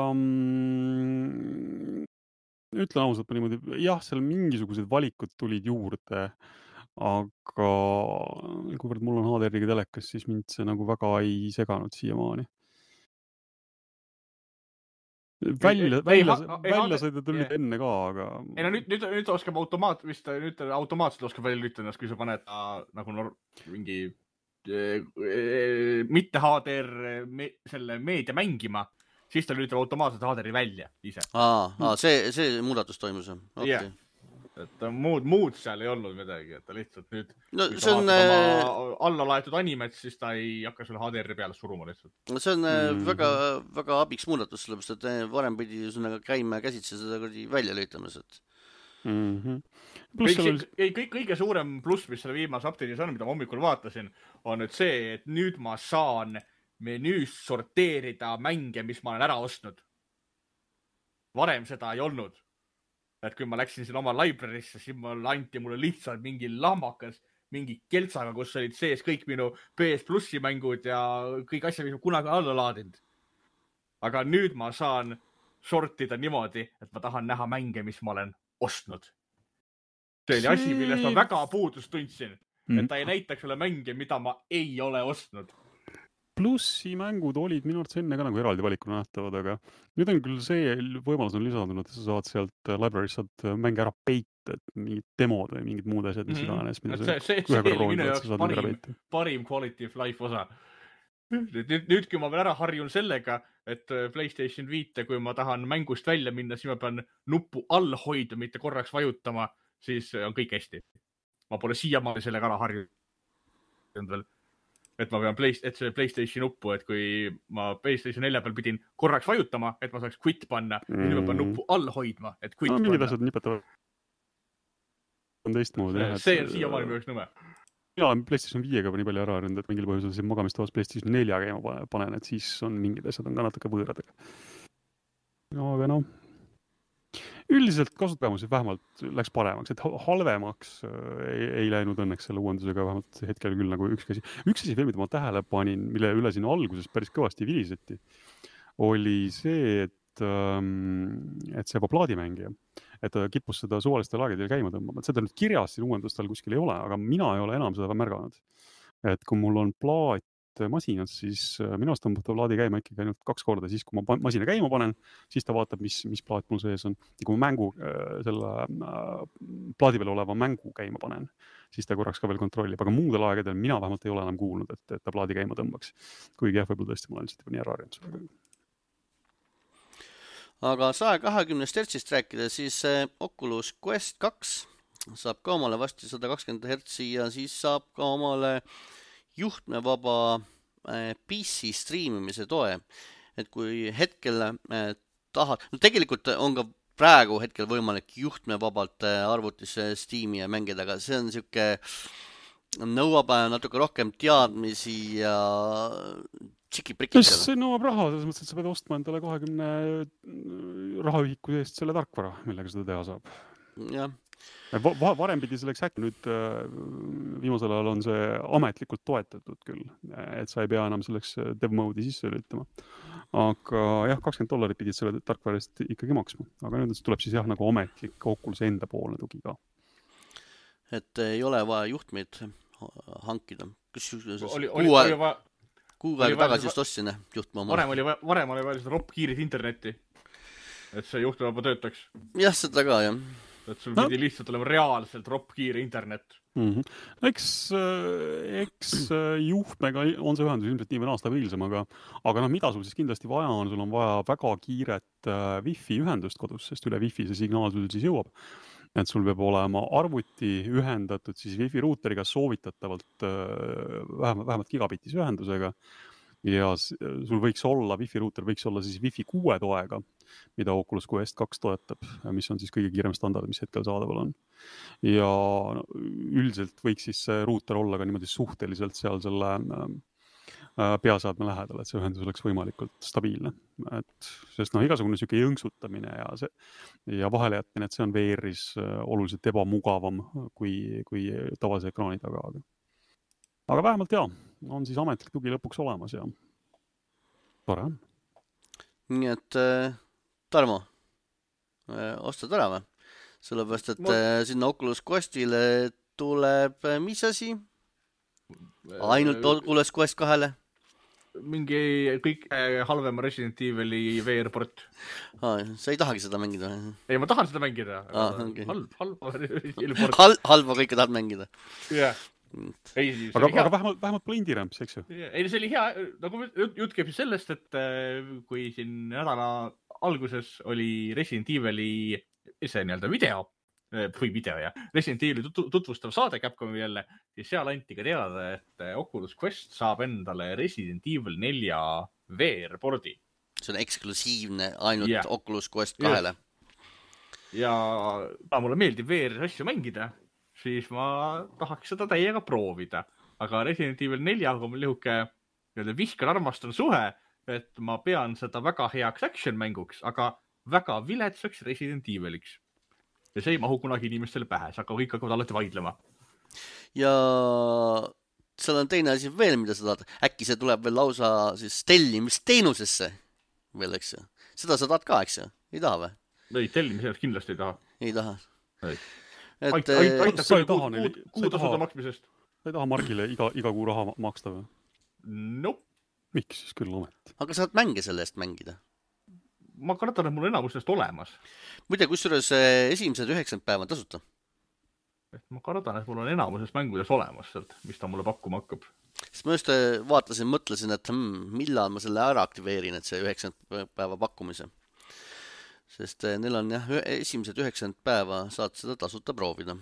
ütlen ausalt niimoodi, jah, seal mingisugused valikud tulid juurde, aga kuivõrd mul on HDR-iga telekas, siis mind see nagu väga ei seganud siiamaani. Välja sai ta tulnud enne ka, aga... Nüüd oskab automaatselt oskab välja lülitada, kui sa paned nagu mingi mitte HDR selle meedia mängima, siis ta lülitab automaatselt HDR-i välja ise. See muudatus toimus. Okay. Et muud seal ei olnud midagi, et ta lihtsalt nüüd kui sa vaatad oma alla laetud animet, siis ta ei hakka sulle HDR-i peale suruma lihtsalt. See on väga, väga abiks muudatus, sellepärast, et varem pidi käima käsitse seda välja lülitamas, et kõige suurem pluss, mis selle viimase update'is on, mida ma hommikul vaatasin, on nüüd see, et nüüd ma saan menüüst sorteerida mänge, mis ma olen ära ostnud. Varem seda ei olnud. Et kui ma läksin siin oma library'sse, siis anti mulle lihtsalt mingi lahmakas, mingi keltsaga, kus olid sees kõik minu PS Plussi mängud ja kõik asjad, mis ma kunagi alla laadinud. Aga nüüd ma saan sortida niimoodi, et ma tahan näha mänge, mis ma olen ostnud. See oli asi, millest ma väga puudust tundsin. Et ta ei näitaks sulle mänge, mida ma ei ole ostnud. plussi mängud olid minu arvates enne ka nagu eraldi valikuna nähtavad, aga nüüd on küll see võimalus on lisandunud, et sa saad sealt library'st saad mänge ära peita, et mingid demod või mingid muud asjad, mis iganes, mida see oli minu jaoks parim quality of life osa. Nüüd, kui ma veel ära harjun sellega, et PlayStation 5, kui ma tahan mängust välja minna, siis ma pean nuppu all hoida, mitte korraks vajutama, siis on kõik hästi. Ma pole siiamaani sellega ära harjunud veel. Et ma pean see PlayStation nuppu, et kui ma PlayStation 4 peal pidin korraks vajutama, et ma saaks quit panna, ja nüüd ma pean nuppu all hoidma, et quit panna. Mingid asjad nipetavad on teistmoodi. See on siiamaani minu jaoks nõme. Mina olen PlayStation 5-ga nii palju ära harjunud, et mingil põhjusel siin magamistoas PlayStation 4 käima panen, et siis on mingid asjad on ka natuke võõradega. Aga no, üldiselt kasutajamusi vähemalt läks paremaks, et halvemaks ei läinud õnneks selle uuendusega vähemalt hetkel küll nagu üks asi veel, mida ma tähele panin, mille üle siin alguses päris kõvasti viliseti, oli see, et see plaadimängija, et ta kippus seda suvaliste laagidel käima tõmbama. Seda nüüd kirjas siin uuendustel kuskil ei ole, aga mina ei ole enam seda märganud. Et kui mul on plaat masinas, siis minu arust tõmbab ta plaadi käima ikkagi ainult 2 korda. Siis, kui ma masina käima panen, siis ta vaatab, mis plaat mul sees on. Ja kui ma selle plaadi peal oleva mängu käima panen, siis ta korraks ka veel kontrollib. Aga muudel aegadel mina vähemalt ei ole enam kuulnud, et ta plaadi käima tõmbaks. Kuigi jah, võib-olla tõesti ma olen lihtsalt nii ära harjunud. Aga 120 Hz rääkida, siis Oculus Quest 2 saab ka omale vasti 120 Hz ja siis saab ka omale juhtmevaba PC streamimise toe. Et kui hetkel tahad, no tegelikult on ka praegu hetkel võimalik juhtmevabalt arvutis Steam'i ja mängida, aga see on siuke nõuab natuke rohkem teadmisi ja see nõuab raha, selles mõttes, et sa pead ostma endale 20 rahaühiku eest selle tarkvara, millega seda teha saab. Jah. Varem pidi selleks äkki, nüüd viimasel ajal on see ametlikult toetatud küll, et sa ei pea enam selleks dev mode'i sisse lülitama. Aga jah, $20 pidid selle tarkvara eest ikkagi maksma. Aga nüüd tuleb siis jah nagu ametlik Oculus enda poolne tugi ka. Et ei ole vaja juhtmeid hankida. Kuu aega tagasi just ostsin juhtme oma. Varem oli vaja seda roppkiirit internetti, et see juhtmevaba töötaks. Jah, seda ka, jah. Et sul pidi lihtsalt olema reaalselt roppkiire internet. Eks juhtmega on see ühendus ilmselt nii või aasta viilsam, aga mida sul siis kindlasti vaja on? Sul on vaja väga kiiret Wi-Fi ühendust kodus, sest üle Wi-Fi see signaal sul siis jõuab. Et sul peab olema arvuti ühendatud siis Wi-Fi ruuteriga soovitatavalt vähemalt gigabitis ühendusega ja sul võiks olla, Wi-Fi ruuter võiks olla siis Wi-Fi 6 toega, mida Oculus Quest 2 toetab, mis on siis kõige kiirem standard, mis hetkel saadaval on. Ja üldiselt võiks siis see ruuter olla ka niimoodi suhteliselt seal selle peasaadme lähedal, et see ühendus oleks võimalikult stabiilne. Sest igasugune siuke jõnksutamine ja vahele jätmine, et see on VR-is oluliselt ebamugavam kui tavase ekraani taga. Aga vähemalt on siis ametlik tugi lõpuks olemas ja tore on. Nii et Tarmo, ostad ära või? Sellepärast, et sinna Oculus Questile tuleb mis asi? Ainult Oculus Quest 2-le? Mingi kõik halvema Resident Evil'i VR-port. Sa ei tahagi seda mängida? Ei, ma tahan seda mängida. Okay. Halva Resident Evil'i port. Halva kõike tahad mängida? Jah. Aga vähemalt pole indie-ramps, eks ju? Ei, see oli hea. Nagu jutt käib sellest, et kui siin nädala alguses oli Resident Evil'i see nii-öelda video, Resident Evil'i tutvustav saade Capcomi jälle, siis seal anti ka teada, et Oculus Quest saab endale Resident Evil 4 VR-pordi. See on eksklusiivne ainult Oculus Quest 2-le. Ja mulle meeldib VR-asju mängida, siis ma tahaks seda täiega proovida. Aga Resident Evil 4 on mul lihuke viskan-armastan suhe, et ma pean seda väga heaks action-mänguks, aga väga viletsaks Resident Eviliks. Ja see ei mahu kunagi inimestele pähe, aga kõik hakkavad alati vaidlema. Ja seal on teine asi veel, mida sa tahad. Äkki see tuleb veel lausa siis tellimisteenusesse veel, eks ju. Seda sa tahad ka, eks ju? Ei taha või? Ei, tellimiseks kindlasti ei taha. Ei taha. Aitab kuutasuda maksmisest. Sa ei taha Margile iga kuu raha maksta või? Nope. miks siis küll ometi? aga saad mänge selle eest mängida. Ma kardan, et mul on enamusest olemas. Muide, kusjuures esimesed 90 päeva on tasuta. Ma kardan, et mul on enamuses mängudes olemas sealt, mis ta mulle pakkuma hakkab. Sest ma just vaatasin, mõtlesin, et millal ma selle ära aktiveerin, et see 90 päeva pakkumise. Sest neil on jah, esimesed 90 päeva saad seda tasuta proovida.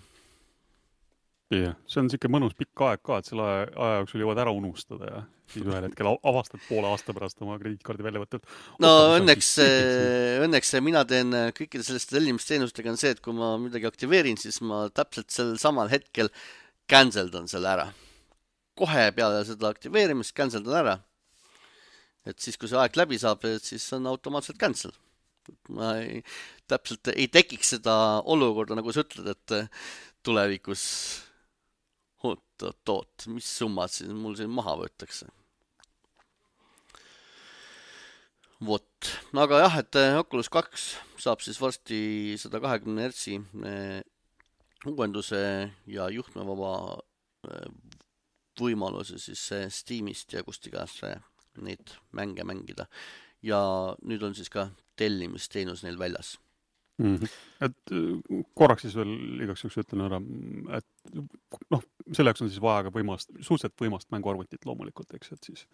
Jah, see on siuke mõnus pikk aeg ka, et selle aja jooksul jõuad ära unustada ja siis ühel hetkel avastad poole aasta pärast oma krediitkaardi välja võtta. No õnneks mina teen kõikide selliste tellimisteenustega on see, et kui ma midagi aktiveerin, siis ma täpselt sel samal hetkel canceldan selle ära. Kohe peale seda aktiveerimist canceldan ära. Et siis, kui see aeg läbi saab, siis on automaatselt cancel. Ma täpselt ei tekiks seda olukorda, nagu sa ütled, et tulevikus oot, mis summad siis mul siin maha võetakse. Vot, aga jah, et Oculus 2 saab siis varsti 120 Hz uuenduse ja juhtmevaba võimaluse siis Steamist ja kust iganes neid mänge mängida. Ja nüüd on siis ka tellimisteenus neil väljas. Et korraks siis veel igaks juhuks ütlen ära, et selleks on siis vaja ka suhteliselt võimast mänguarvutit loomulikult, eks, et siis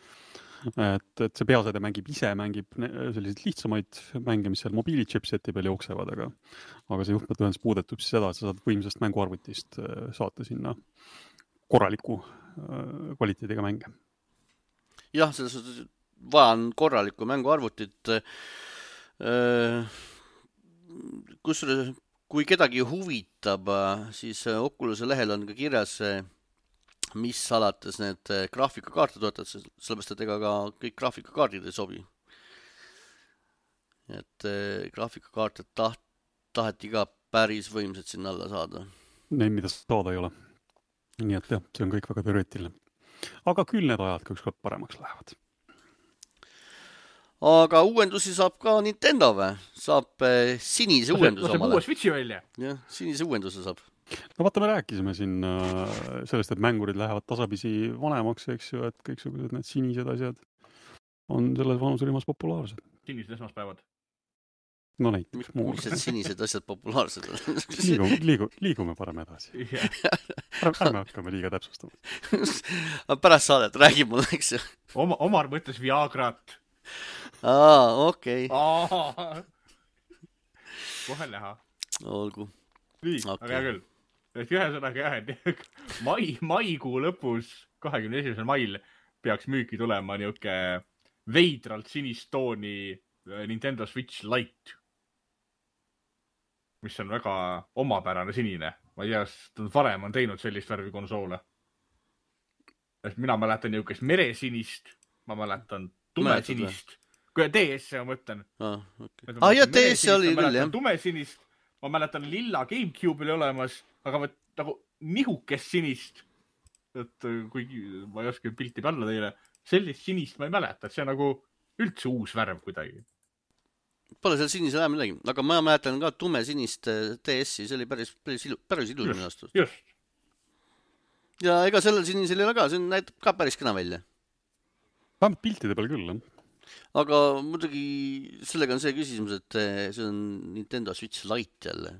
et see peaseade mängib selliseid lihtsamaid mänge, mis seal mobiilichipseti peal jooksevad, aga see juhtmetühendus puudetab siis seda, et sa saad võimsast mänguarvutist saata sinna korraliku kvaliteediga mänge. Jah, selles vaja on korralikku mänguarvutit. Kui kedagi huvitab, siis Oculus'e lehel on ka kirjas, mis alates need graafikakaarte toetavad, sellepärast, et ega ka kõik graafikakaardid ei sobi. Et graafikakaarte taheti ka päris võimsad sinna alla saada. Neid, mida saada ei ole. Nii et jah, see on kõik väga teoreetiline. Aga küll need ajad ka ükskord paremaks lähevad. Aga uuendusi saab ka Nintendo või? Saab sinise uuenduse omale. Uue Switchi välja. Jah, sinise uuenduse saab. No vaata, me rääkisime siin sellest, et mängurid lähevad tasapisi vanemaks, eks ju, et kõiksugused need sinised asjad on selles vanuserühmas populaarsed. Sinised esmaspäevad. No näiteks. Millised sinised asjad populaarsed on? Liigume parem edasi. Ärme hakkame liiga täpsustama. Pärast saadet räägib mulle, eks ju. Omar mõtles Viagrat. Okei. Kohe näha. Olgu. Nii, aga hea küll. Ühesõnaga jah, maikuu lõpus, 21. mail peaks müüki tulema niuke veidralt sinist tooni Nintendo Switch Lite, mis on väga omapärane sinine. Ma ei tea, varem on teinud sellist värvi konsoole. Mina mäletan niukest meresinist, ma mäletan tumesinist. Kui DS-e ma mõtlen. Ja DS oli küll, jah. Tumesinist, ma mäletan lilla GameCube'il olemas, aga nagu nihukest sinist, et kuigi ma ei oska pilti panna teile, sellist sinist ma ei mäleta, et see on nagu üldse uus värv kuidagi. Pole seal sinisel ajal midagi, aga ma mäletan ka tumesinist DS-i, see oli päris ilus minu astus. Just. Ja ega sellel sinisel ei ole ka, see näitab ka päris kena välja. Vähemalt piltide peal küll, jah. Aga muidugi sellega on see küsimus, et see on Nintendo Switch Lite jälle.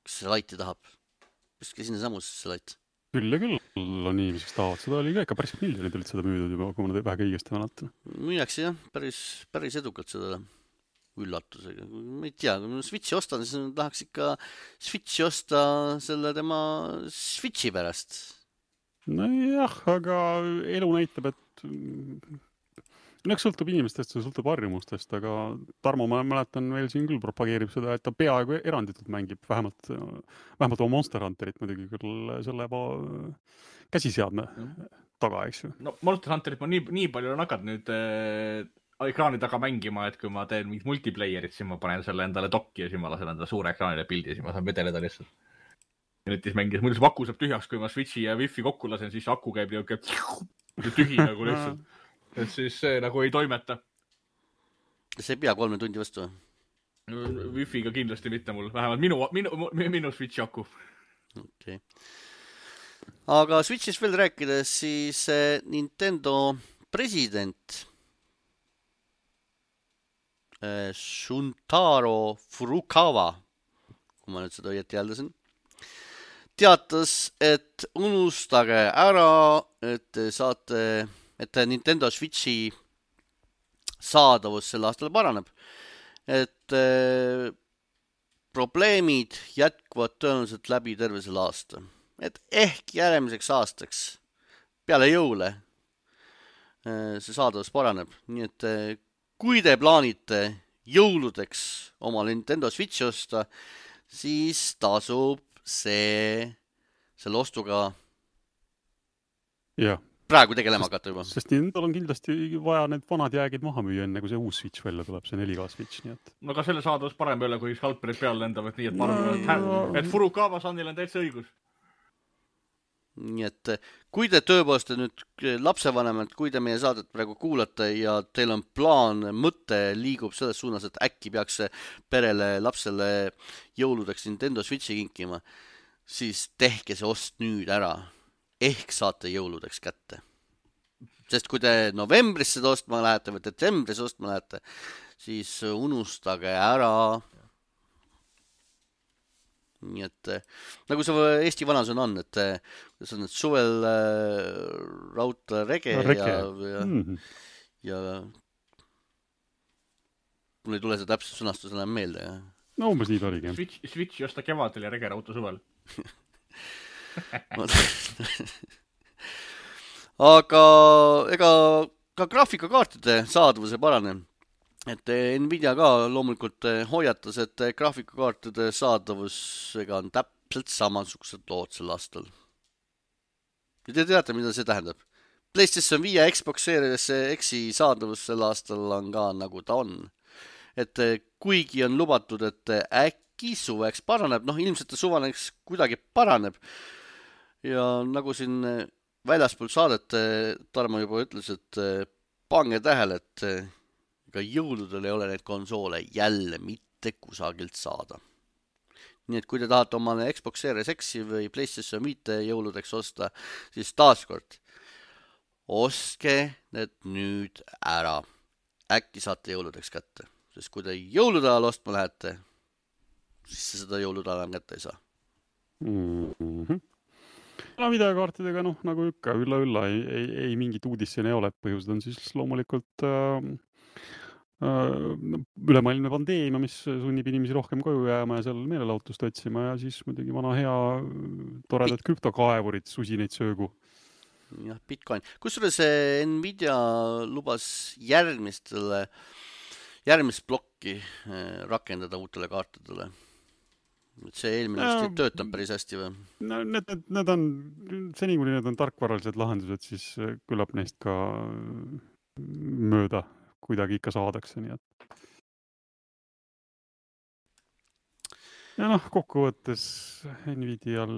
Kas see Lite'i tahab? Pistke sinna samus see Lite. Küll ja küll on inimeseks tahavad. Seda oli ka ikka päris miljonid olid seda müüdud juba, kui ma vähega õigesti mäletan. Müüakse jah, päris edukalt seda üllatusega. Ma ei tea, kui ma Switchi ostan, siis tahaks ikka Switchi osta selle tema Switchi pärast. No jah, aga elu näitab, et eks sõltub inimestest, see sõltub harjumustest, aga Tarmo, ma mäletan veel siin küll propageerib seda, et ta peaaegu eranditult mängib vähemalt oma Monster Hunterit muidugi küll selle käsiseadme taga, eks ju. No Monster Hunterit ma nii palju on hakanud nüüd ekraani taga mängima, et kui ma teen mingit multiplayerit, siis ma panen selle endale dokki ja siis ma lasen endale suure ekraanile pildi ja siis ma saan vedeleda lihtsalt. Ja nüüd siis mängis, muidu see aku saab tühjaks, kui ma Switchi ja Wi-Fi kokku lasen, siis aku käib tühi nagu lihtsalt. Et siis see nagu ei toimeta. See ei pea 3 tundi vastu? Wi-Fi'ga kindlasti mitte mul, vähemalt minu Switchi aku. Okay. aga Switch'ist veel rääkides, siis Nintendo president Shuntaro Furukawa, kui ma nüüd seda õieti hääldasin, teatas, et unustage ära, et saate, et Nintendo Switchi saadavus sel aastal paraneb. Et probleemid jätkuvad tõenäoliselt läbi terve selle aasta. Et ehk järgmiseks aastaks peale jõule see saadavus paraneb. Nii et kui te plaanite jõuludeks oma Nintendo Switchi osta, siis tasub selle ostuga praegu tegelema hakata juba. Sest Nintendol on kindlasti vaja need vanad jäägid maha müüa, enne kui see uus Switch välja tuleb, see 4K Switch. Nii et... No ka selle saadavus parem ei ole, kui skalperid peale lendavad, nii et ma arvan, et Furukawa Sanil on täitsa õigus. Nii et kui te tõepoolest nüüd lapsevanemad, kui te meie saadet praegu kuulate ja teil on plaan, mõte liigub selles suunas, et äkki peaks perele, lapsele jõuludeks Nintendo Switchi kinkima, siis tehke see ost nüüd ära. Ehk saate jõuludeks kätte. Sest kui te novembris seda ostma lähete või detsembris ostma lähete, siis unustage ära. Nii et nagu see Eesti vanasõna on, et see on suvel raudla rege. Ja mul ei tule see täpselt sõnastus enam meelde. Ja. No umbes nii oligi. Switch josta kevadel ja rege rauta suvel. Aga ega ka graafikakaartide saadavuse parane. Et Nvidia ka loomulikult hoiatas, et graafikakaartide saadavusega on täpselt samasugused lood sel aastal. Ja te teate, mida see tähendab? PlayStation 5 ja Xbox Series X-i saadavus sel aastal on ka nagu ta on. Et kuigi on lubatud, et äkki suveks paraneb, ilmselt suvaneks kuidagi paraneb. Ja nagu siin väljaspool saadet Tarmo juba ütles, et pange tähele, et ega jõuludel ei ole neid konsoole jälle mitte kusagilt saada. Nii et kui te tahate omale Xbox Series X-i või PlayStation 5 jõuludeks osta, siis taaskord ostke need nüüd ära. Äkki saate jõuludeks kätte. Sest kui te jõulude ajal ostma lähete, siis seda jõulude ajal kätte ei saa. Videokaartidega, nagu ikka, ülla, ei mingit uudisseni ei ole. Põhjused on siis loomulikult ülemaailmne pandeemia, mis sunnib inimesi rohkem koju jääma ja seal meelelahutust otsima ja siis muidugi vana hea toredad krüptokaevurid susinaid söögu. Jah, Bitcoin. Kusjuures Nvidia lubas järgmist plokki rakendada uutele kaartidele. See eelmine vist töötab päris hästi või? No, need on, seni kuni need on tarkvaralised lahendused, siis küllap neist ka mööda kuidagi ikka saadakse, nii et. Ja kokkuvõttes Nvidial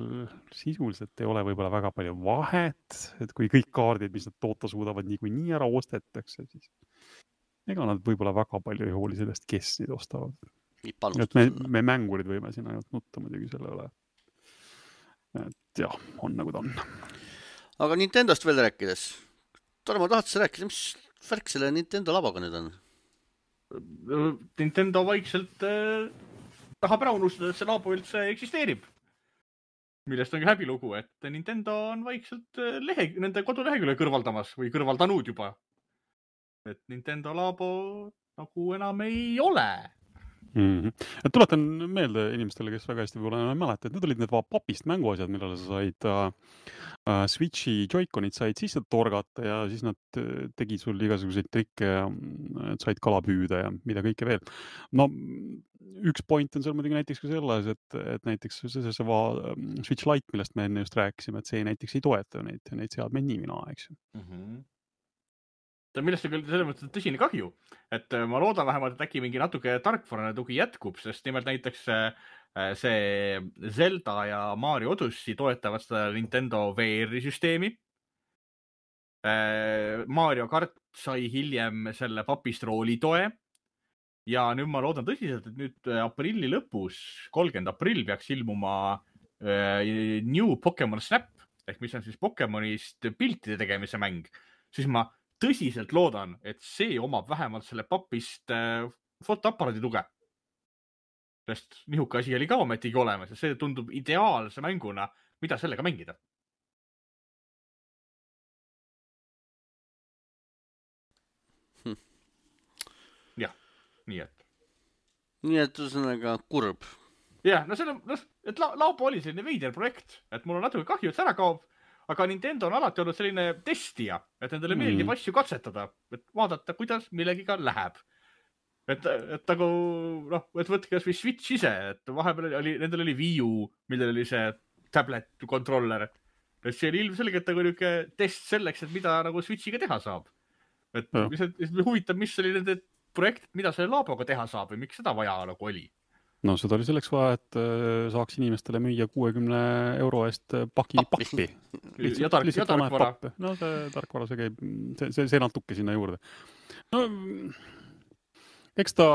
sisuliselt ei ole võib-olla väga palju vahet, et kui kõik kaardid, mis nad toota suudavad nii ära ostetakse, siis ega nad võib-olla väga palju ei hooli sellest, kes neid ostavad. Et me mängurid võime siin ainult nutta muidugi selle üle. Et jah, on nagu ta on. Aga Nintendost veel rääkides. Tarmo, tahad sa rääkida, mis värk selle Nintendo laboga nüüd on? Nintendo vaikselt tahab ära unustada, et see labo üldse eksisteerib. Millest on häbilugu, et Nintendo on vaikselt nende kodulehekülje kõrvaldamas või kõrvaldanud juba. Et Nintendo labo nagu enam ei ole. Et tuletan meelde inimestele, kes väga hästi võib-olla enam mäleta, et need olid need papist mänguasjad, millele sa said Switchi Joy-Conid said sisse torgata ja siis nad tegid sul igasuguseid trikke ja said kala püüda ja mida kõike veel. No üks point on seal muidugi näiteks ka selles, et näiteks see Switch Lite, millest me enne just rääkisime, et see näiteks ei toeta neid seadmeid nii mina, eks ju. Millest on küll selles mõttes tõsine kahju, et ma loodan vähemalt, et äkki mingi natuke tarkvarane tugi jätkub, sest nimelt näiteks see Zelda ja Mario Odyssey toetavad seda Nintendo VR-i süsteemi. Mario Kart sai hiljem selle papist rooli toe ja nüüd ma loodan tõsiselt, et nüüd aprilli lõpus, 30. aprill peaks ilmuma New Pokemon Snap ehk mis on siis Pokemonist piltide tegemise mäng, siis ma tõsiselt loodan, et see omab vähemalt selle papist fotoaparaadi tuge. Sest nihuke asi oli ka ometigi olemas ja see tundub ideaalse mänguna, mida sellega mängida. Jah, nii et. Nii et ühesõnaga kurb. Jah, no selle, et Laupo oli selline veider projekt, et mul on natuke kahju, et see ära kaob, aga Nintendo on alati olnud selline testija, et nendele meeldib asju katsetada, et vaadata, kuidas millegiga läheb. Et nagu, noh, et võtke kas või Switch ise, et vahepeal oli, nendel oli Wii U, millel oli see tablet controller. Et see oli ilmselgelt nagu niuke test selleks, et mida nagu Switchiga teha saab. Et huvitav, mis oli nende projekt, mida selle Laaboga teha saab või miks seda vaja nagu oli. No seda oli selleks vaja, et saaks inimestele müüa 60 € eest paki pappi. Ja tarkvara. No see tarkvara, see käib, see natuke sinna juurde. No, eks ta,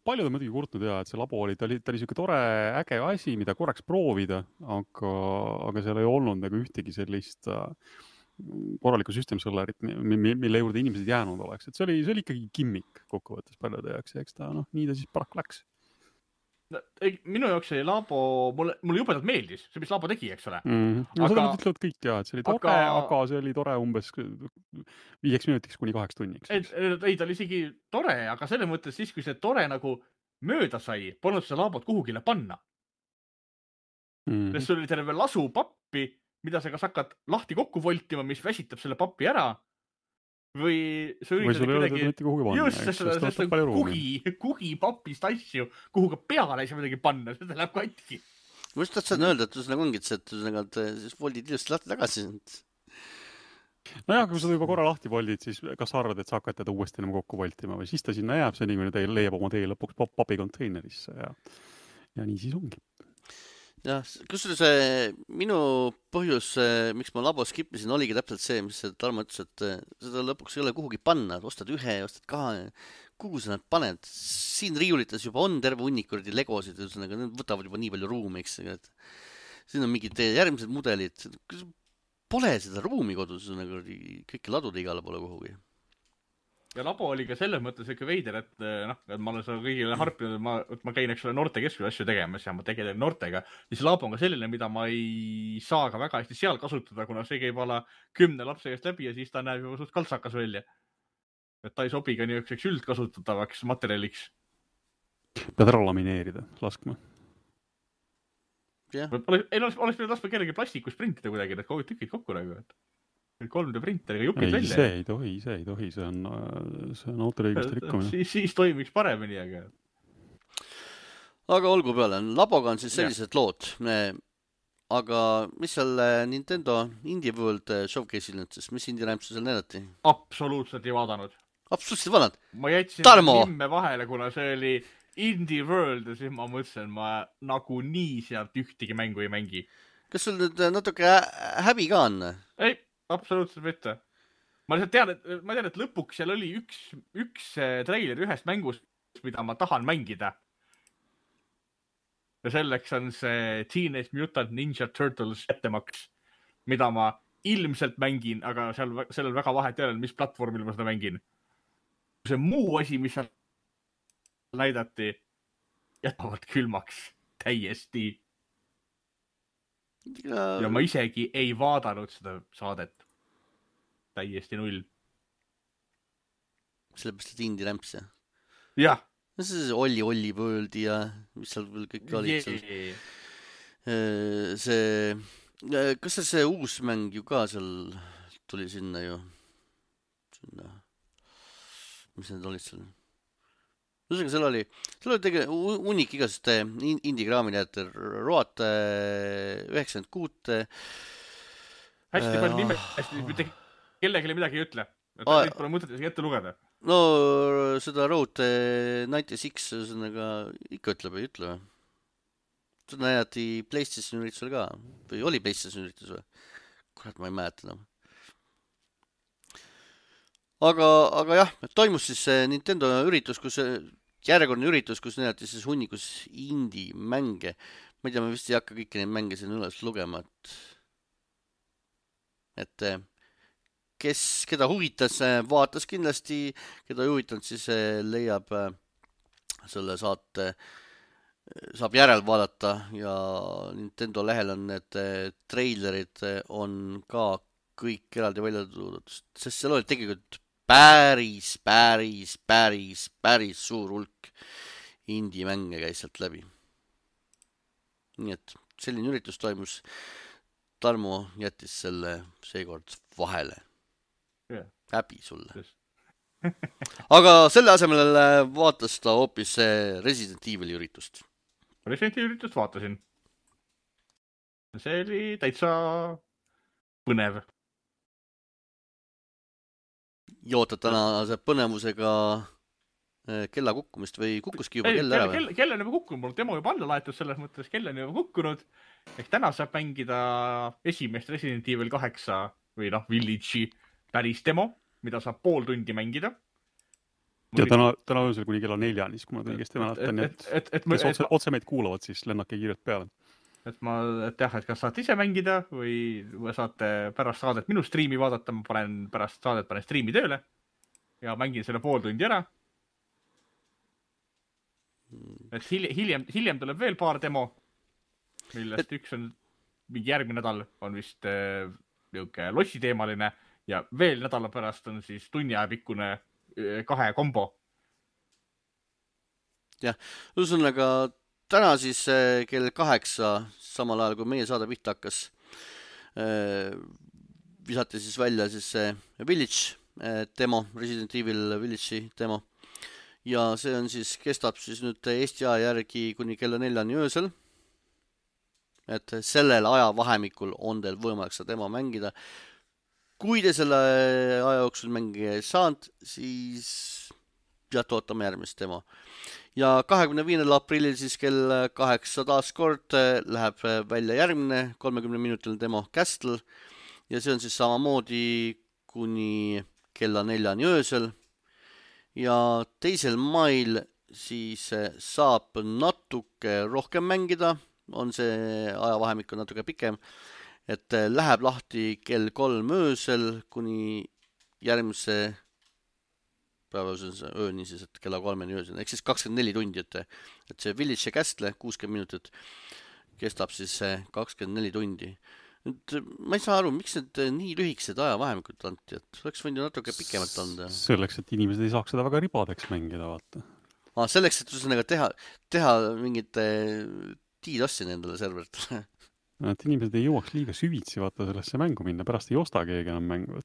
paljud on muidugi kurtnud ja, et see labo oli, ta oli siuke tore, äge asi, mida korraks proovida, aga seal ei olnud nagu ühtegi sellist korralikku süsteemsõllerit, mille juurde inimesed jäänud oleks. Et see oli ikkagi gimmick kokkuvõttes paljude jaoks ja eks ta, nii ta siis paraku läks. Minu jaoks see labo, mulle jubedalt meeldis, see mis labo tegi, eks ole. No seda nüüd ütlevad kõik ja, et see oli tore, aga see oli tore umbes 5 minutiks kuni 8 tunniks. Ei, ta oli isegi tore, aga selles mõttes siis, kui see tore nagu mööda sai, polnud seda labot kuhugile panna. Sest sul oli terve lasu pappi, mida sa kas hakkad lahti kokku voltima, mis väsitab selle pappi ära. Või sa üritad kuidagi just sest kugi papist asju, kuhu ka peale ei saa midagi panna, seda läheb katki. Ma just tahtsin öelda, et ühesõnaga ongid see, et siis voldid ilusti lahti tagasi. Nojah, kui sa juba korra lahti voldid, siis kas sa arvad, et sa hakkad teda uuesti enam kokku voltima või siis ta sinna jääb, see nii, kui leiab oma tee lõpuks papikonteinerisse ja nii siis ongi. Jah, kusjuures minu põhjus, miks ma labo skippisin, oligi täpselt see, mis Tarmo ütles, et seda lõpuks ei ole kuhugi panna, ostad ühe, ostad kahe, kuhu sa nad paned. Siin riiulites juba on terve hunnikurdi legosid, need võtavad juba nii palju ruumi, eks. Siin on mingid järgmised mudelid. Pole seda ruumi kodus, kõiki ladude igale pole kuhugi. Ja labo oli ka selles mõttes ikka veider, et ma olen seda kõigile harpinud, et ma käin, eks ole, noortekeskuse asju tegemas ja ma tegelen noortega, siis labo on ka selline, mida ma ei saa ka väga hästi seal kasutada, kuna see käib ala 10 lapse käest läbi ja siis ta näeb juba suht kaltsakas välja. Et ta ei sobi ka niisuguseks üldkasutatavaks materjaliks. Pead ära lamineerida, laskma. Oleks pidanud laskma kellegi plastikus printida kuidagi, need tükid kokku nagu, et 3D printeriga jupid välja. See ei tohi, see on autoriõiguste rikkumine. Siis toimiks paremini, aga olgu peale, laboga on siis sellised lood, aga mis seal Nintendo Indie World Showcase'il nüüd siis, mis indie rämpsu seal näidati? Absoluutselt ei vaadanud. Absoluutselt vaadanud? Ma jätsin nimme vahele, kuna see oli Indie World ja siis ma mõtlesin, ma nagu nii sealt ühtegi mängu ei mängi. Kas sul nüüd natuke häbi ka on? Ei. Absoluutselt mitte. Ma tean, et lõpuks seal oli üks treiler ühest mängust, mida ma tahan mängida. Ja selleks on see Teenage Mutant Ninja Turtles ettemaks, mida ma ilmselt mängin, aga seal on väga vahet jälle, mis platvormil ma seda mängin. See muu asi, mis seal näidati, jätavad külmaks täiesti. Ja ma isegi ei vaadanud seda saadet. Täiesti null. Sellepärast, et indie rämps, jah? Jah. See Olli Worldi ja mis seal veel kõik olid seal. Kas see uus mäng ju ka seal tuli sinna ju? Mis need olid seal? Seal oli unik igast indie-kraamid, et Road 96. Hästi palju nime, hästi kellelegi midagi ei ütle. Et neid pole mõtet isegi ette lugeda. No seda Road 96 ikka ütleb, ei ütle. Seda näidati PlayStation üritusel ka. Või oli PlayStation üritus või? Kurat, ma ei mäleta enam. Aga jah, toimus siis Nintendo üritus, järjekordne üritus, kus näidati siis hunnikus indie-mänge. Ma ei tea, ma vist ei hakka kõiki neid mänge siin üles lugema, et et keda huvitas, vaatas kindlasti, keda ei huvitanud, siis leiab selle saate, saab järel vaadata ja Nintendo lehel on need treilerid on ka kõik eraldi välja toodud, sest seal oli tegelikult päris suur hulk indie-mänge käis sealt läbi. Nii et selline üritus toimus. Tarmo jättis selle seekord vahele. Yeah. Häbi sulle. Aga selle asemel vaatas ta hoopis Resident Evil üritust. Resident Evil üritust vaatasin. See oli täitsa põnev. Jootad tänase põnevusega kella kukkumist või kukkuski juba kell ära või? Kell on juba kukkunud, mul demo juba alla laetud selles mõttes, kell on juba kukkunud. Ehk täna saab mängida esimest Resident Evil 8 või Village'i päris demo, mida saab pool tundi mängida. Ja täna öösel kuni kella 4, siis kui ma õigesti mäletan, et otse meid kuulavad, siis lennake kiirelt peale. Et kas saate ise mängida või saate pärast saadet minu striimi vaadata, ma pärast saadet panen striimi tööle ja mängin selle pool tundi ära. Et hiljem tuleb veel paar demo, millest üks on mingi järgmine nädal on vist niuke lossiteemaline ja veel nädala pärast on siis tunni aja pikkune 2 kombo. Jah, ühesõnaga täna siis kell 8, samal ajal kui meie saade pihta hakkas, visati siis välja siis Village demo, Resident Evil Village'i demo. Ja see on siis, kestab siis nüüd Eesti aja järgi kuni kella 4 öösel. Et sellel ajavahemikul on teil võimalik seda demo mängida. Kui te selle aja jooksul mängida ei saanud, siis ootame järgmist demo. Ja 25. aprillil siis kell 8 taas kord läheb välja järgmine 30-minutiline demo Castle ja see on siis samamoodi kuni kella 4 öösel. Ja 2. mail siis saab natuke rohkem mängida, on see ajavahemik on natuke pikem, et läheb lahti kell 3 öösel kuni järgmise päeva ööni siis, et kella 3 öösel, ehk siis 24 tundi, et see Village ja Castle 60 minutit kestab siis 24 tundi. Nüüd, ma ei saa aru, miks need nii lühikesed ajavahemikud anti, et oleks võinud ju natuke pikemalt anda. Selleks, et inimesed ei saaks seda väga ribadeks mängida, vaata. Selleks, et ühesõnaga teha mingit DDoS-i nendele serveritele. Et inimesed ei jõuaks liiga süvitsi vaata sellesse mängu minna, pärast ei osta keegi enam mängu.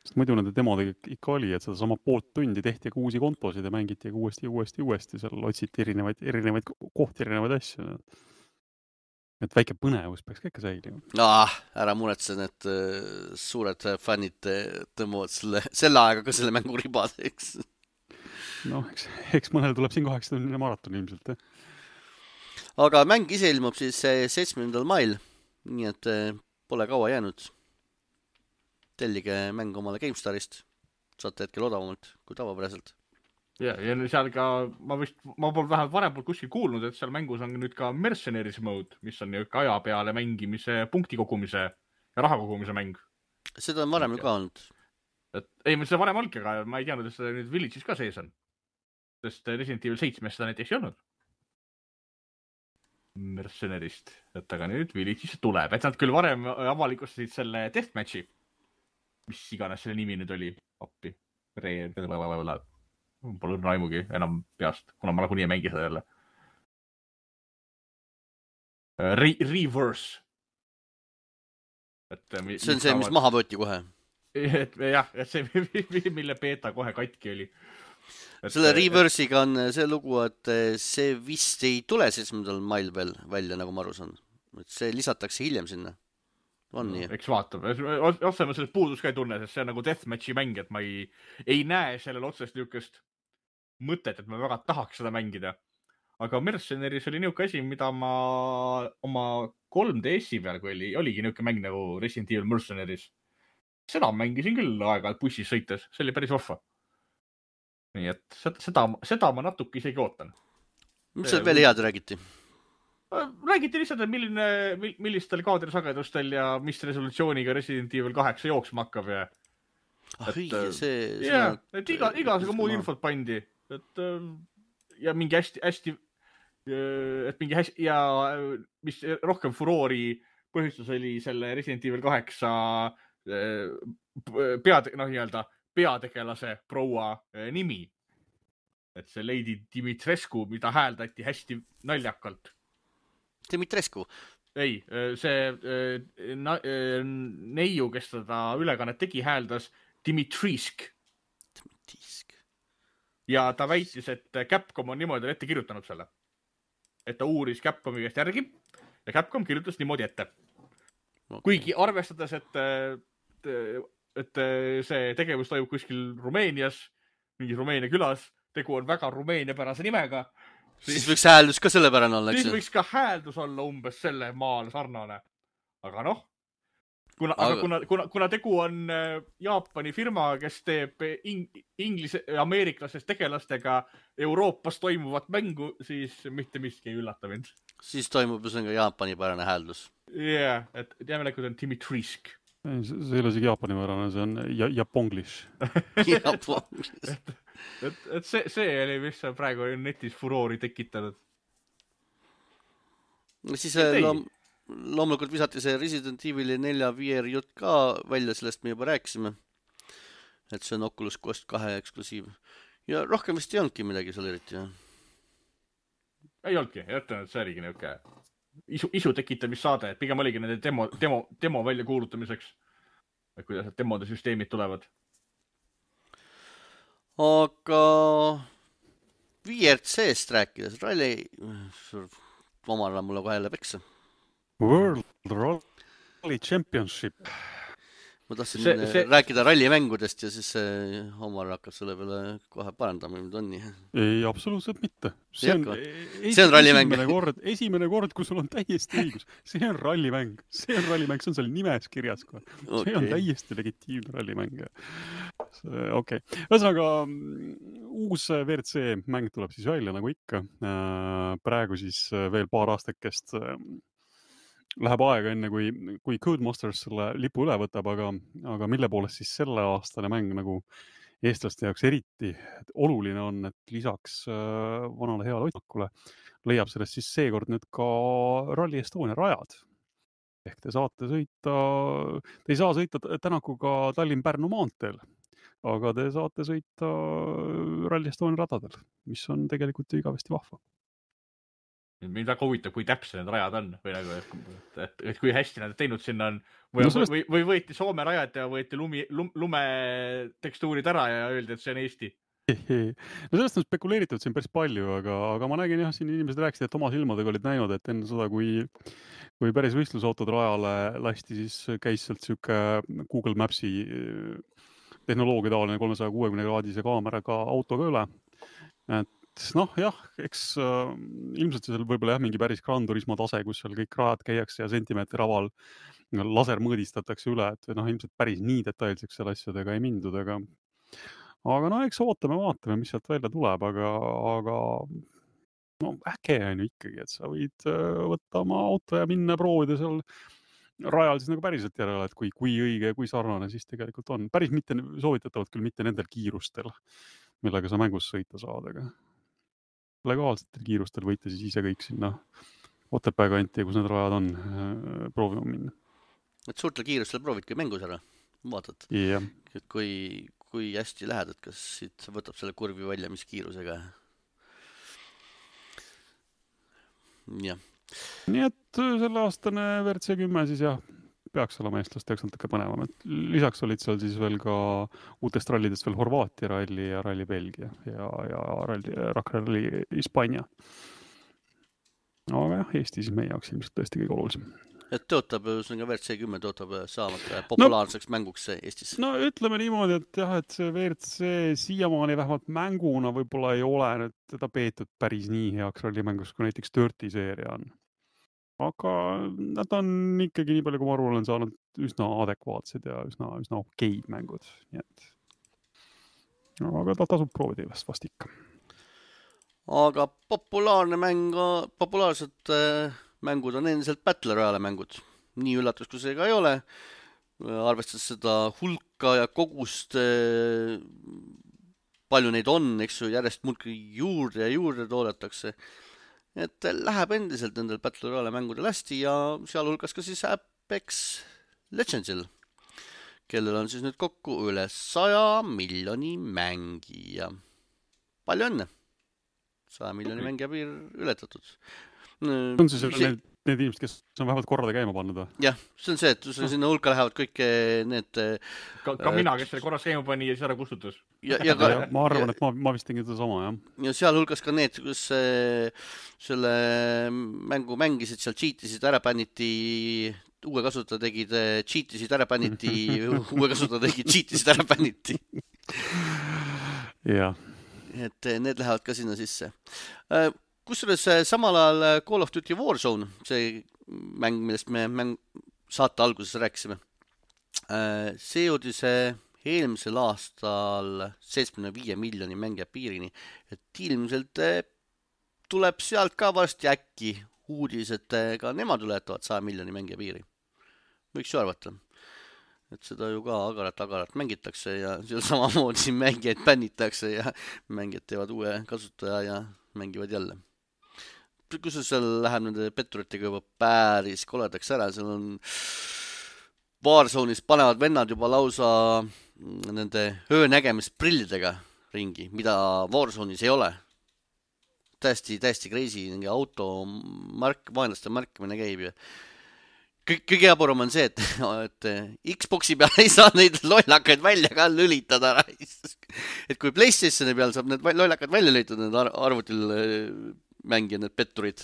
Sest muidu nende demodega ikka oli, et seda sama poolt tundi tehti uusi kontosid ja mängiti uuesti. Seal otsiti erinevaid kohti, erinevaid asju. Et väike põnevus peaks ka ikka säilima. Ära muretse, need suured fännid tõmbuvad selle aega ka selle mängu ribadeks. Eks mõnel tuleb siin 8-tunnine maraton ilmselt. Aga mäng ise ilmub siis 7. mail, nii et pole kaua jäänud. Tellige mäng omale GameStarist, saate hetkel odavamalt kui tavapäraselt. Ja seal ka, ma pole vähemalt varem kuskil kuulnud, et seal mängus on nüüd ka Mercenaries mode, mis on aja peale mängimise, punkti kogumise ja raha kogumise mäng. Seda on varem ju ka olnud. Ei, seda varem olgi, aga ma ei teadnud, et seda nüüd Village'is ka sees on. Sest Resident Evil 7 seda näiteks ei olnud. Mercenarist. Et aga nüüd Village'is tuleb. Et nad küll varem avalikustasid selle Deathmatchi, mis iganes selle nimi nüüd oli. Appi. Pole raimugi enam peast, kuna ma nagunii ei mängi seda jälle. Reverse. See on see, mis maha võeti kohe. Jah, see, mille beta kohe katki oli. Selle Reverse'iga on see lugu, et see vist ei tule 7. mail veel välja, nagu ma aru saan. Et see lisatakse hiljem sinna. On nii. Eks vaatab. Otsema sellest puudus ka ei tunne, sest see on nagu Deathmatchi mäng, et ma ei näe sellel otsest niukest mõtet, et ma väga tahaks seda mängida. Aga Mercenaries oli niuke asi, mida ma oma 3DS-i peal, kui oligi niuke mäng nagu Resident Evil Mercenaries. Seda mängisin küll aega bussis sõites. See oli päris vahva. Nii et seda ma natuke isegi ootan. Mis seal veel head räägiti? Räägiti lihtsalt, et millistel kaadrisagedustel ja mis resolutsiooniga Resident Evil 8 jooksma hakkab ja et igasugune muud infot pandi, et ja mingi hästi, ja mis rohkem furoori põhjustus oli selle Resident Evil 8 peategelase proua nimi. Et see Lady Dimitrescu, mida hääldati hästi naljakalt. Dimitrescu? Ei, see neiu, kes seda ülekannet tegi, hääldas Dimitrisk. Ja ta väitis, et Capcom on niimoodi ette kirjutanud selle. Et ta uuris Capcomi käest järgi ja Capcom kirjutas niimoodi ette. Okay. Kuigi arvestades, et see tegevus toimub kuskil Rumeenias, mingi Rumeenia külas, tegu on väga rumeeniapärase nimega. Siis võiks hääldus ka sellepärane olla, eks? Siis võiks ka hääldus olla umbes selle maal sarnane. Aga noh, kuna tegu on Jaapani firma, kes teeb ameeriklasest tegelastega Euroopas toimuvat mängu, siis mitte miski ei üllata mind. Siis toimub üsnega Jaapani pärane hääldus. Jah, et jämelekud on Dimitrisk. See ei ole isegi Jaapani pärane, see on Japonglish. Et see oli, mis praegu netis furoori tekitanud. Siis loomulikult visati see Resident Evil 4 VR jutt ka välja, sellest me juba rääkisime. Et see on Oculus Quest 2 eksklusiiv. Ja rohkem vist ei olnudki midagi seal eriti. Ei olnudki, jättan, et see oligi niuke isu tekitamissaade, et pigem oligi nende demo välja kuulutamiseks. Et kuidas demode süsteemid tulevad. Aga VRC-st rääkides, ralli omale mulle kohe jälle peksa. World Rally Championship. Ma tahtsin rääkida rallimängudest ja siis Omar hakkab selle peale kohe parandama, mida on nii. Ei, absoluutselt mitte. See on rallimäng. Esimene kord, kui sul on täiesti õigus. See on rallimäng. See on rallimäng, see on seal nimes kirjas. Okay. See on täiesti legitiimne rallimäng. Okay. Ühesõnaga, uus WRC mäng tuleb siis välja nagu ikka. Praegu siis veel paar aastakest läheb aega enne, kui Codemasters selle lipu üle võtab, aga mille poolest siis selle aastane mäng nagu eestlaste jaoks eriti oluline on, et lisaks vanale heale hoidmakule leiab sellest siis seekord nüüd ka Rally Estonia rajad. Ehk te ei saa sõita Tänakuga Tallinn-Pärnu maanteel, aga te saate sõita Rally Estonia radadel, mis on tegelikult igavesti vahva. Mind väga huvitab, kui täpse need rajad on või nagu, et kui hästi nad teinud sinna on või võeti Soome rajad ja võeti lume tekstuurid ära ja öeldi, et see on Eesti. No sellest on spekuleeritud siin päris palju, aga ma nägin jah, siin inimesed rääkisid, et oma silmadega olid näinud, et enne seda, kui päris võistlusautod rajale lasti, siis käis sealt siuke Google Mapsi tehnoloogia taoline 360-kraadise kaameraga autoga üle. Et noh, jah, eks ilmselt seal võib-olla jah, mingi päris Gran Turismo tase, kus seal kõik rajad käiakse ja sentimeetri raval laser mõõdistatakse üle, et noh, ilmselt päris nii detailseks seal asjadega ei mindud, aga no eks vaatame, mis sealt välja tuleb, aga no äge on ju ikkagi, et sa võid võtta oma auto ja minna proovida seal rajal siis nagu päriselt järele, et kui õige ja kui sarnane siis tegelikult on. Päris mitte soovitatavad küll mitte nendel kiirustel, millega sa mängus sõita saad, aga legaalsetel kiirustel võite siis ise kõik sinna Otepää kanti, kus need rajad on, proovima minna. Et suurtel kiirustel proovidki mängus ära, vaatad, et kui hästi lähed, et kas siit võtab selle kurvi välja, mis kiirusega. Jah. Nii et selle aastane WRC 10 siis jah, peaks olema eestlaste jaoks natuke põnevam. Lisaks olid seal siis veel ka uutest rallidest veel Horvaatia ralli ja ralli Belgia ja Rakra ralli Hispaania. Aga jah, Eesti siis meie jaoks ilmselt tõesti kõige olulisem. Et tõotab, WRC 10 tõotab saamata populaarseks mänguks Eestis. No ütleme niimoodi, et jah, et see WRC siiamaani vähemalt mänguna võib-olla ei ole nüüd teda peetud päris nii heaks rallimängus, kui näiteks Dirty seeria on. Aga nad on ikkagi nii palju, kui ma aru olen saanud üsna adekvaatsed ja üsna okeid mängud. Nii et... Aga ta tasub proovida vast ikka. aga populaarsed mängud on endiselt Battle Royale mängud. Nii üllatus, kui see ka ei ole. Arvestades seda hulka ja kogust, palju neid on, eks ju, järjest muudki juurde ja juurde toodetakse. Et läheb endiselt nendel Battle Royale mängudel hästi ja sealhulgas ka siis Apex Legendsil, kellel on siis nüüd kokku üle 100 miljoni mängija. Palju õnne! 100 miljoni mängija piir ületatud. On siis need inimesed, kes on vähemalt korrada käima pannud? Jah, see on see, et sinna hulka lähevad kõik need... Ka mina, kes selle korras käima pani ja siis ära kustutus. Ma arvan, et ma vist tegin seda sama, jah. Ja sealhulgas ka need, kus selle mängu mängisid, seal cheatisid, ära bänniti, uue kasutaja tegid, cheatisid, ära bänniti, uue kasutaja tegid, cheatisid, ära bänniti. Jah. Et need lähevad ka sinna sisse. Kusjuures samal ajal Call of Duty Warzone, see mäng, millest me saate alguses rääkisime, see jõudis eelmisel aastal 75 miljoni mängija piirini, et ilmselt tuleb sealt ka varsti äkki uudis, et ka nemad ületavad 100 miljoni mängija piiri. Võiks ju arvata, et seda ju ka agarat mängitakse ja seal samamoodi mängijaid bännitakse ja mängijad teevad uue kasutaja ja mängivad jälle. Kus seal läheb nende petturitega juba päris koledaks ära, seal on Warzone'is panevad vennad juba lausa nende öönägemisprillidega ringi, mida Warzone'is ei ole. Täiesti crazy, auto vaenlaste markimine käib ja kõige jaburum on see, et Xboxi peal ei saa neid lollakaid välja ka lülitada. Et kui PlayStationi peal saab need lollakad välja lülitada, need arvutil mängija, need petturid,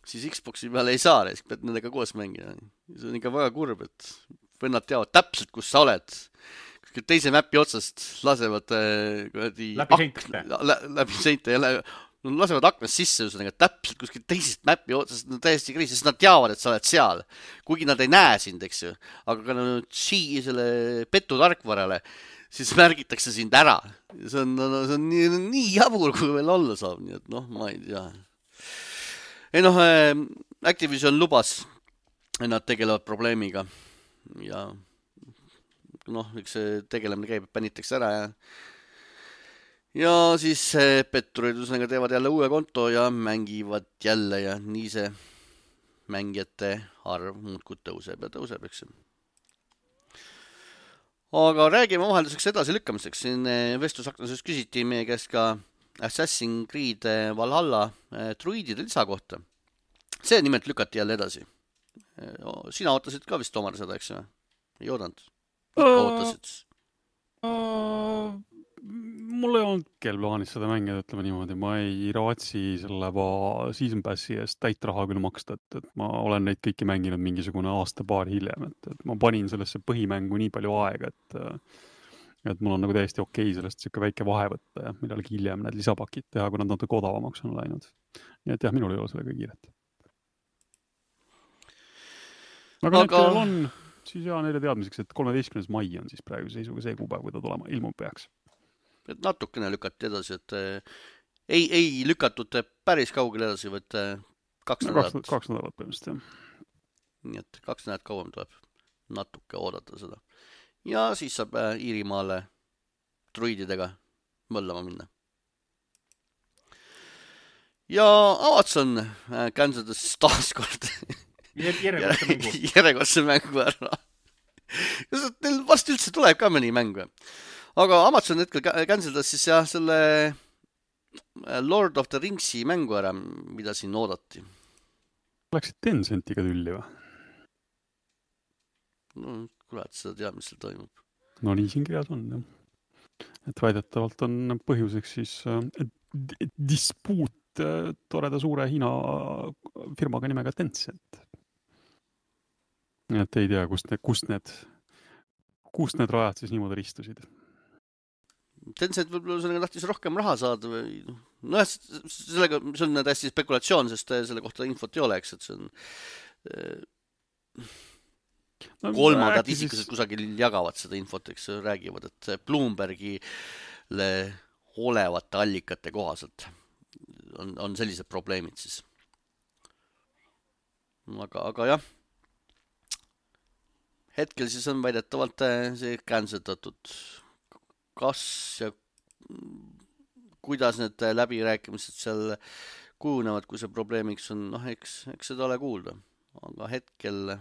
siis Xboxi peal ei saa, pead nendega koos mängida. See on ikka väga kurb, et vennad teavad täpselt, kus sa oled. Teise mäppi otsast lasevad läbi seinte ja lasevad aknast sisse, täpselt kuskil teisest mäppi otsast, täiesti kriis, sest nad teavad, et sa oled seal. Kuigi nad ei näe sind, eks ju. Aga kui nad selle petu tarkvarale, siis märgitakse sind ära. See on nii jabur, kui veel olla saab. Nii et ma ei tea. Activision lubas, et nad tegelevad probleemiga. Ja eks see tegelemine käib, pännitakse ära ja siis petturid teevad jälle uue konto ja mängivad jälle ja nii see mängijate arv muudkui tõuseb ja tõuseb, eks. Aga räägime vahelduseks edasi lükkamiseks. Siin vestlusaknases küsiti meie käest ka Assassin's Creed Valhalla druidide lisa kohta. See nimelt lükati jälle edasi. Sina ootasid ka vist Omar seda, eks? Ei oodanud? Ootasid? Mul ei olnud kell plaanis seda mängida, ütleme niimoodi. Ma ei raatsi selle Season Passi eest täit raha küll maksta, et ma olen neid kõiki mänginud mingisugune aasta-paar hiljem, et ma panin sellesse põhimängu nii palju aega, et mul on nagu täiesti okei sellest siuke väike vahe võtta ja midagi hiljem need lisapakid teha, kui nad natuke odavamaks on läinud. Nii et jah, minul ei ole sellega kiiret. Aga need kellel on, siis neile teadmiseks, et 13. mai on siis praegu seisuga see kuupäev, kui ta tulema ilmub peaks. Et natukene lükati edasi, et ei lükatud päris kaugele edasi, vaid 2 nädalat. 2 nädalat põhimõtteliselt, jah. Nii et 2 nädalat kauem tuleb natuke oodata seda. Ja siis saab Iirimaale druididega mõllama minna. Ja Amazon canceldas taaskord järjekordse mängu ära. Neil varsti üldse tuleb ka mõni mäng. Aga Amazon hetkel canceldas siis jah selle Lord of the Ringsi mängu ära, mida siin oodati. Läksid Tencentiga tülli või? No, kurat, seda teab, mis seal toimub. No nii siin kirjas on, jah. Et väidetavalt on põhjuseks siis dispuut toreda suure Hiina firmaga nimega Tencent. Et ei tea, kust need rajad siis niimoodi ristusid. Tencent võib-olla sellega tahtis rohkem raha saada või sellega, see on täiesti spekulatsioon, sest selle kohta infot ei ole, eks, et see on kolmandad isikused kusagil jagavad seda infot, eks, räägivad, et Bloombergile olevate allikate kohaselt on sellised probleemid siis. Aga jah, hetkel siis on väidetavalt see cancelatud. Kas ja kuidas need läbirääkimised seal kujunevad, kui see probleemiks on, noh, eks seda ole kuulda. Aga hetkel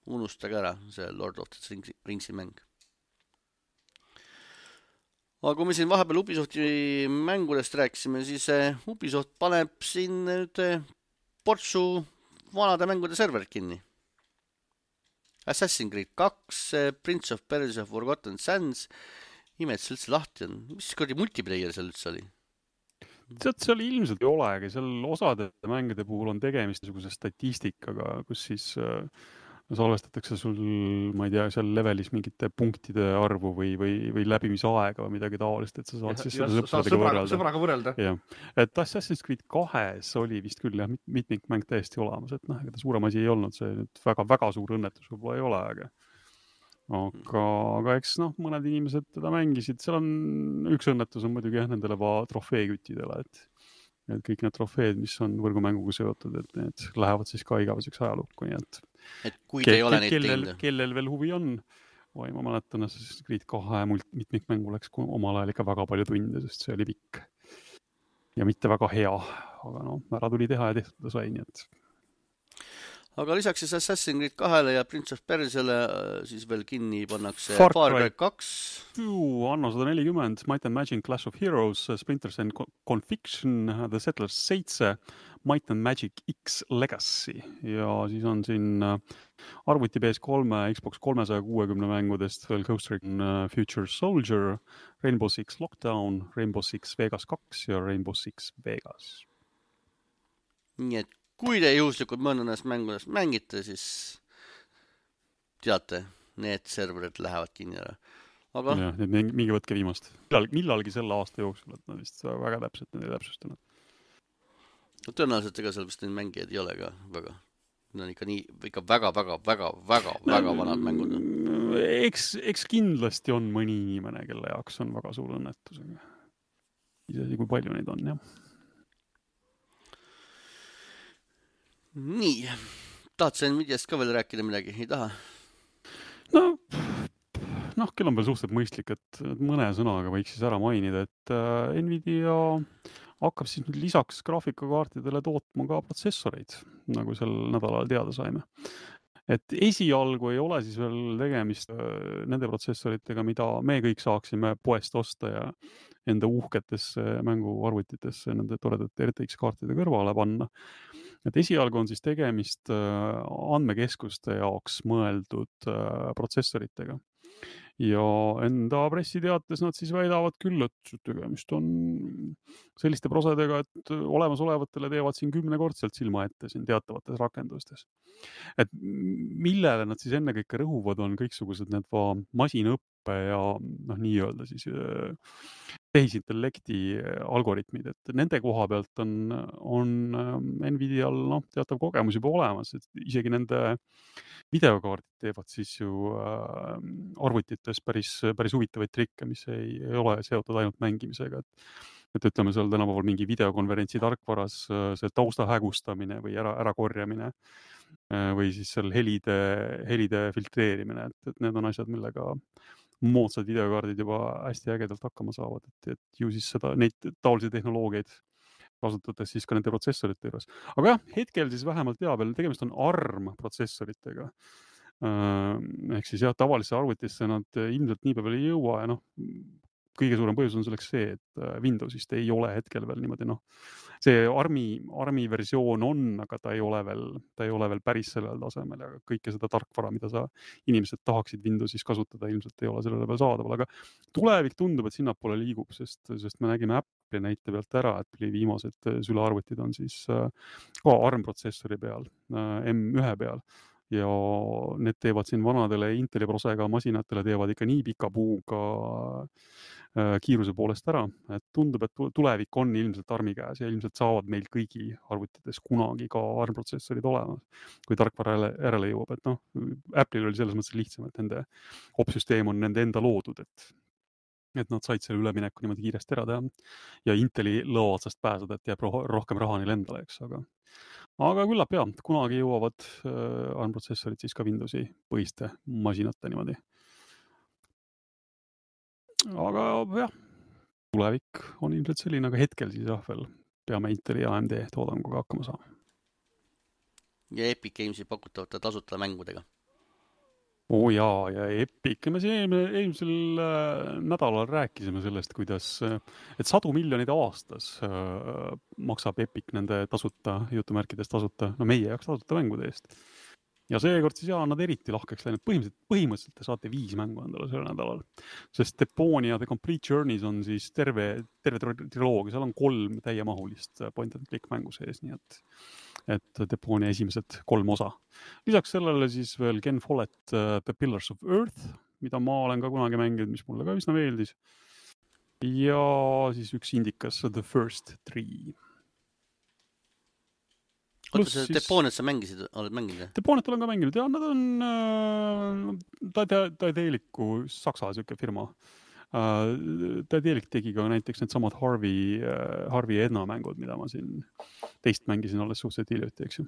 unustage ära see Lord of the Ringsi mäng. Aga kui me siin vahepeal Ubisofti mängudest rääkisime, siis Ubisoft paneb siin nüüd portsu vanade mängude serverid kinni. Assassin's Creed 2, Prince of Persia Forgotten Sands, imed see üldse lahti on. Mis kuradi multiplayer seal üldse oli? Tead, seal ilmselt ei olegi, seal osade mängude puhul on tegemist niisuguse statistikaga, kus siis salvestatakse sul, ma ei tea, seal levelis mingite punktide arvu või läbimisaega või midagi taolist, et sa saad siis seda sõbraga võrrelda. Ja. Et Assassin's Creed 2 oli vist küll jah, mitmikmäng täiesti olemas, et noh, ega ta suurem asi ei olnud, see nüüd väga suur õnnetus võib-olla ei ole, aga eks noh, mõned inimesed teda mängisid, seal on üks õnnetus on muidugi jah, nendele trofeeküttidele, et kõik need trofeed, mis on võrgumänguga seotud, et need lähevad siis ka igaveseks ajalukku, nii et kui te ei ole neid teinud. Kellel veel huvi on, ma mäletan, Assassin's Creed 2 mitmikmängu läks omal ajal ikka väga palju tunde, sest see oli pikk ja mitte väga hea, aga no, ära tuli teha ja tehtud ta sai, nii et aga lisaks siis Assassin's Creed 2 ja Prince of Persiale siis veel kinni pannakse Far Cry 2. Anno 140, Might and Magic Clash of Heroes, Splinters and Conviction, The Settlers 7, Might and Magic X Legacy ja siis on siin arvuti PS3, Xbox 360 mängudest veel Ghost Recon Future Soldier, Rainbow Six Lockdown, Rainbow Six Vegas 2 ja Rainbow Six Vegas. Nii et kui te juhuslikult mõnest mängudest mängite, siis teate, need serverid lähevad kinni ära. Aga jah, mingi võtke viimast. Millalgi selle aasta jooksul, et nad vist väga täpselt need ei täpsustanud. Tõenäoliselt ega seal vist neid mängijaid ei ole ka väga. Need on ikka väga vanad mängud. Eks kindlasti on mõni inimene, kelle jaoks on väga suur õnnetus. Isegi kui palju neid on, jah. Nii, tahad sa Nvidiast ka veel rääkida midagi? Ei taha? Noh, kell on veel suhteliselt mõistlik, et mõne sõnaga võiks siis ära mainida, et Nvidia hakkab siis nüüd lisaks graafikakaartidele tootma ka protsessoreid, nagu sel nädalal teada saime. Et esialgu ei ole siis veel tegemist nende protsessoritega, mida me kõik saaksime poest osta ja enda uhketesse mänguarvutitesse nende toredate RTX-kaartide kõrvale panna. Et esialgu on siis tegemist andmekeskuste jaoks mõeldud protsessoritega. Ja enda pressiteates nad siis väidavad küll, et tegemist on selliste prosedega, et olemasolevatele teevad siin 10-kordselt silma ette siin teatavates rakendustes. Et millele nad siis ennekõike rõhuvad on kõiksugused need masinõppe ja noh, nii-öelda siis tehisintellekti algoritmid, et nende koha pealt on Nvidial teatav kogemus juba olemas, et isegi nende videokaardid teevad siis ju arvutites päris huvitavaid trikke, mis ei ole seotud ainult mängimisega, et ütleme seal tänapäeval mingi videokonverentsi tarkvaras see tausta hägustamine või ära korjamine või siis seal helide filtreerimine, et need on asjad, millega moodsad videokaardid juba hästi ägedalt hakkama saavad, et ju siis neid taolisi tehnoloogiaid kasutades siis ka nende protsessorite juures. Aga jah, hetkel siis vähemalt veel tegemist on ARM protsessoritega. Ehk siis jah, tavalisse arvutisse nad ilmselt nii päeval ei jõua ja kõige suurem põhjus on selleks see, et Windowsist ei ole hetkel veel niimoodi, see ARMi versioon on, aga ta ei ole veel päris sellel tasemel ja kõike seda tarkvara, mida inimesed tahaksid Windowsis kasutada, ilmselt ei ole sellele veel saadaval, aga tulevik tundub, et sinnapoole liigub, sest me nägime Apple'i näite pealt ära, et viimased sülearvutid on siis ka ARM-protsessori peal, M1 peal. Ja need teevad siin vanadele Inteli prosega masinatele teevad ikka nii pika puuga kiiruse poolest ära, et tundub, et tulevik on ilmselt ARMi käes ja ilmselt saavad meil kõigi arvutites kunagi ka ARM-protsessorid olemas, kui tarkvara järele jõuab, et Apple'il oli selles mõttes lihtsam, et nende opsüsteem on nende enda loodud, et et nad said selle ülemineku niimoodi kiiresti ära teha ja Inteli lõo otsast pääseda, et jääb rohkem raha neile endale, eks, aga küllap jah, kunagi jõuavad ARM-protsessorid siis ka Windowsi põhiste masinate niimoodi. Aga jah, tulevik on ilmselt selline, aga hetkel siis jah veel peame Inteli ja AMD toodanguga hakkama saama. Ja Epic Gamesi pakutavate tasuta mängudega. Ja Epic, me siin eelmisel nädalal rääkisime sellest, kuidas, et 100 miljonit aastas maksab Epic nende tasuta, jutumärkides tasuta, no meie jaoks tasuta mängude eest. Ja seekord siis jah, nad eriti lahkeks läinud. Põhimõtteliselt te saate 5 mängu endale selle nädalal, sest Deponia The Complete Journeys on siis terve triloogia, seal on 3 täiemahulist point and click mängu sees, nii et Deponia esimesed 3 osa. Lisaks sellele siis veel Ken Follett The Pillars of Earth, mida ma olen ka kunagi mänginud, mis mulle ka üsna meeldis. Ja siis üks indikas The First 3. Oota, see Deponiat sa oled mänginud? Deponiat olen ka mänginud ja nad on Daedalicu Saksa siuke firma. Daedalic tegi ka näiteks need samad Harvey Edna mängud, mida ma siin teist mängisin alles suhteliselt hiljuti, eks ju.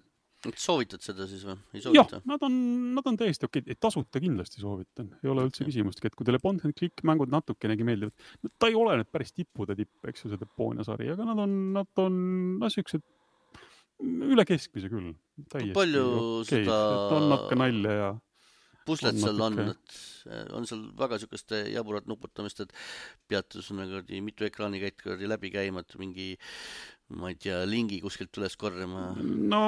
Soovitad seda siis või? Ei soovita? Jah, nad on täiesti okei. Tasuta kindlasti soovitan. Ei ole üldse küsimustki, et kui teile point and click mängud natukenegi meeldivad, ta ei ole nüüd päris tippude tipp, eks ju, see Deponia sari, aga nad on siuksed üle keskmise küll. Palju seda on natuke nalja ja puslet seal on, et on seal väga siukest jaburat nuputamist, et peatus mitu ekraani käid läbi käima, et mingi, ma ei tea, lingi kuskilt üles korjama. No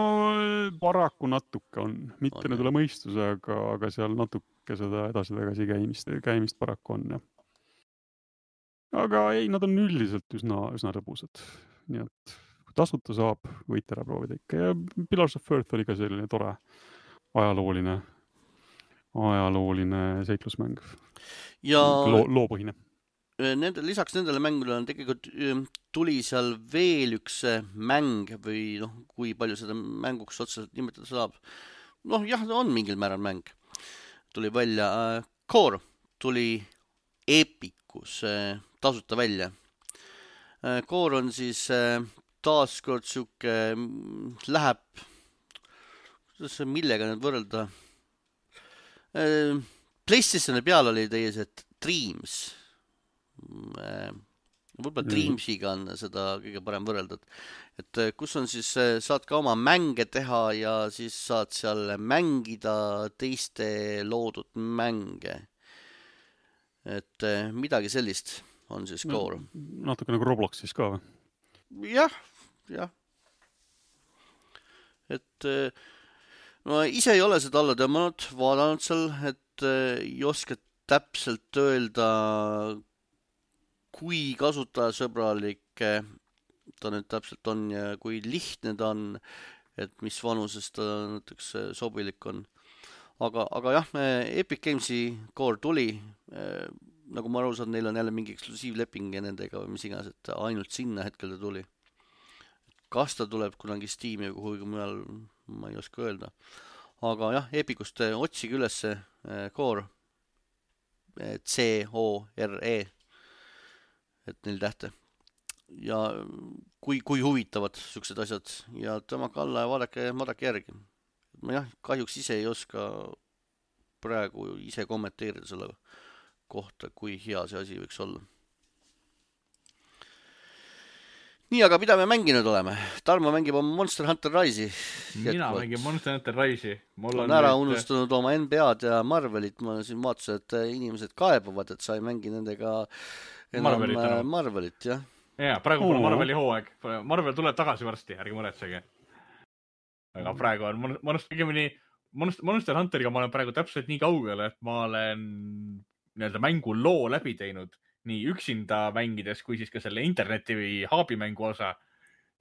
paraku natuke on, mitte nüüd üle mõistuse, aga seal natuke seda edasi-tagasi käimist paraku on, jah. Aga ei, nad on üldiselt üsna rõbusad, nii et tasuta saab, võite ära proovida ikka. Ja Pillars of Earth oli ka selline tore ajalooline seiklusmäng. Ja loopõhine. Lisaks nendele mängule on tegelikult tuli seal veel üks mäng või kui palju seda mänguks otseselt nimetada saab. Jah, on mingil määral mäng. Tuli välja Core, tuli Epicus tasuta välja. Core on siis taaskord siuke läheb, millega nüüd võrrelda. PlayStationi peal oli teie see Dreams. Võib-olla Dreamsiga on seda kõige parem võrrelda. Et kus on siis, saad ka oma mänge teha ja siis saad seal mängida teiste loodud mänge. Et midagi sellist on siis Core. Natuke nagu Roblox siis ka või? Jah. Et no ise ei ole seda alla tõmmanud, vaadanud seal, et ei oska täpselt öelda, kui kasutajasõbralik ta nüüd täpselt on ja kui lihtne ta on, et mis vanuses ta näiteks sobilik on. Aga jah, Epic Gamesi Core tuli, nagu ma aru saan, neil on jälle mingi eksklusiivleping nendega või mis iganes, et ainult sinna hetkel ta tuli. Kas ta tuleb kunagi Steam'i või kuhugi mujal, ma ei oska öelda. Aga jah, Epicust otsige üles Core, C-O-R-E, et 4 tähte. Ja kui huvitavad siuksed asjad ja tõmmake alla ja vaadake järgi. Ma jah, kahjuks ise ei oska praegu ise kommenteerida selle kohta, kui hea see asi võiks olla. Nii, aga mida me mänginud oleme? Tarmo mängib oma Monster Hunter Rise'i. Mina mängin Monster Hunter Rise'i. On ära unustanud oma NBA-d ja Marvelit. Ma siin vaatasin, et inimesed kaebavad, et sa ei mängi nendega enam Marvelit, jah. Ja, praegu pole Marveli hooaeg. Marvel tuleb tagasi varsti, ärge muretsege. Aga praegu on Monster Hunteriga ma olen praegu täpselt nii kaugele, et ma olen mängu loo läbi teinud nii üksinda mängides, kui siis ka selle interneti või haabimängu osa.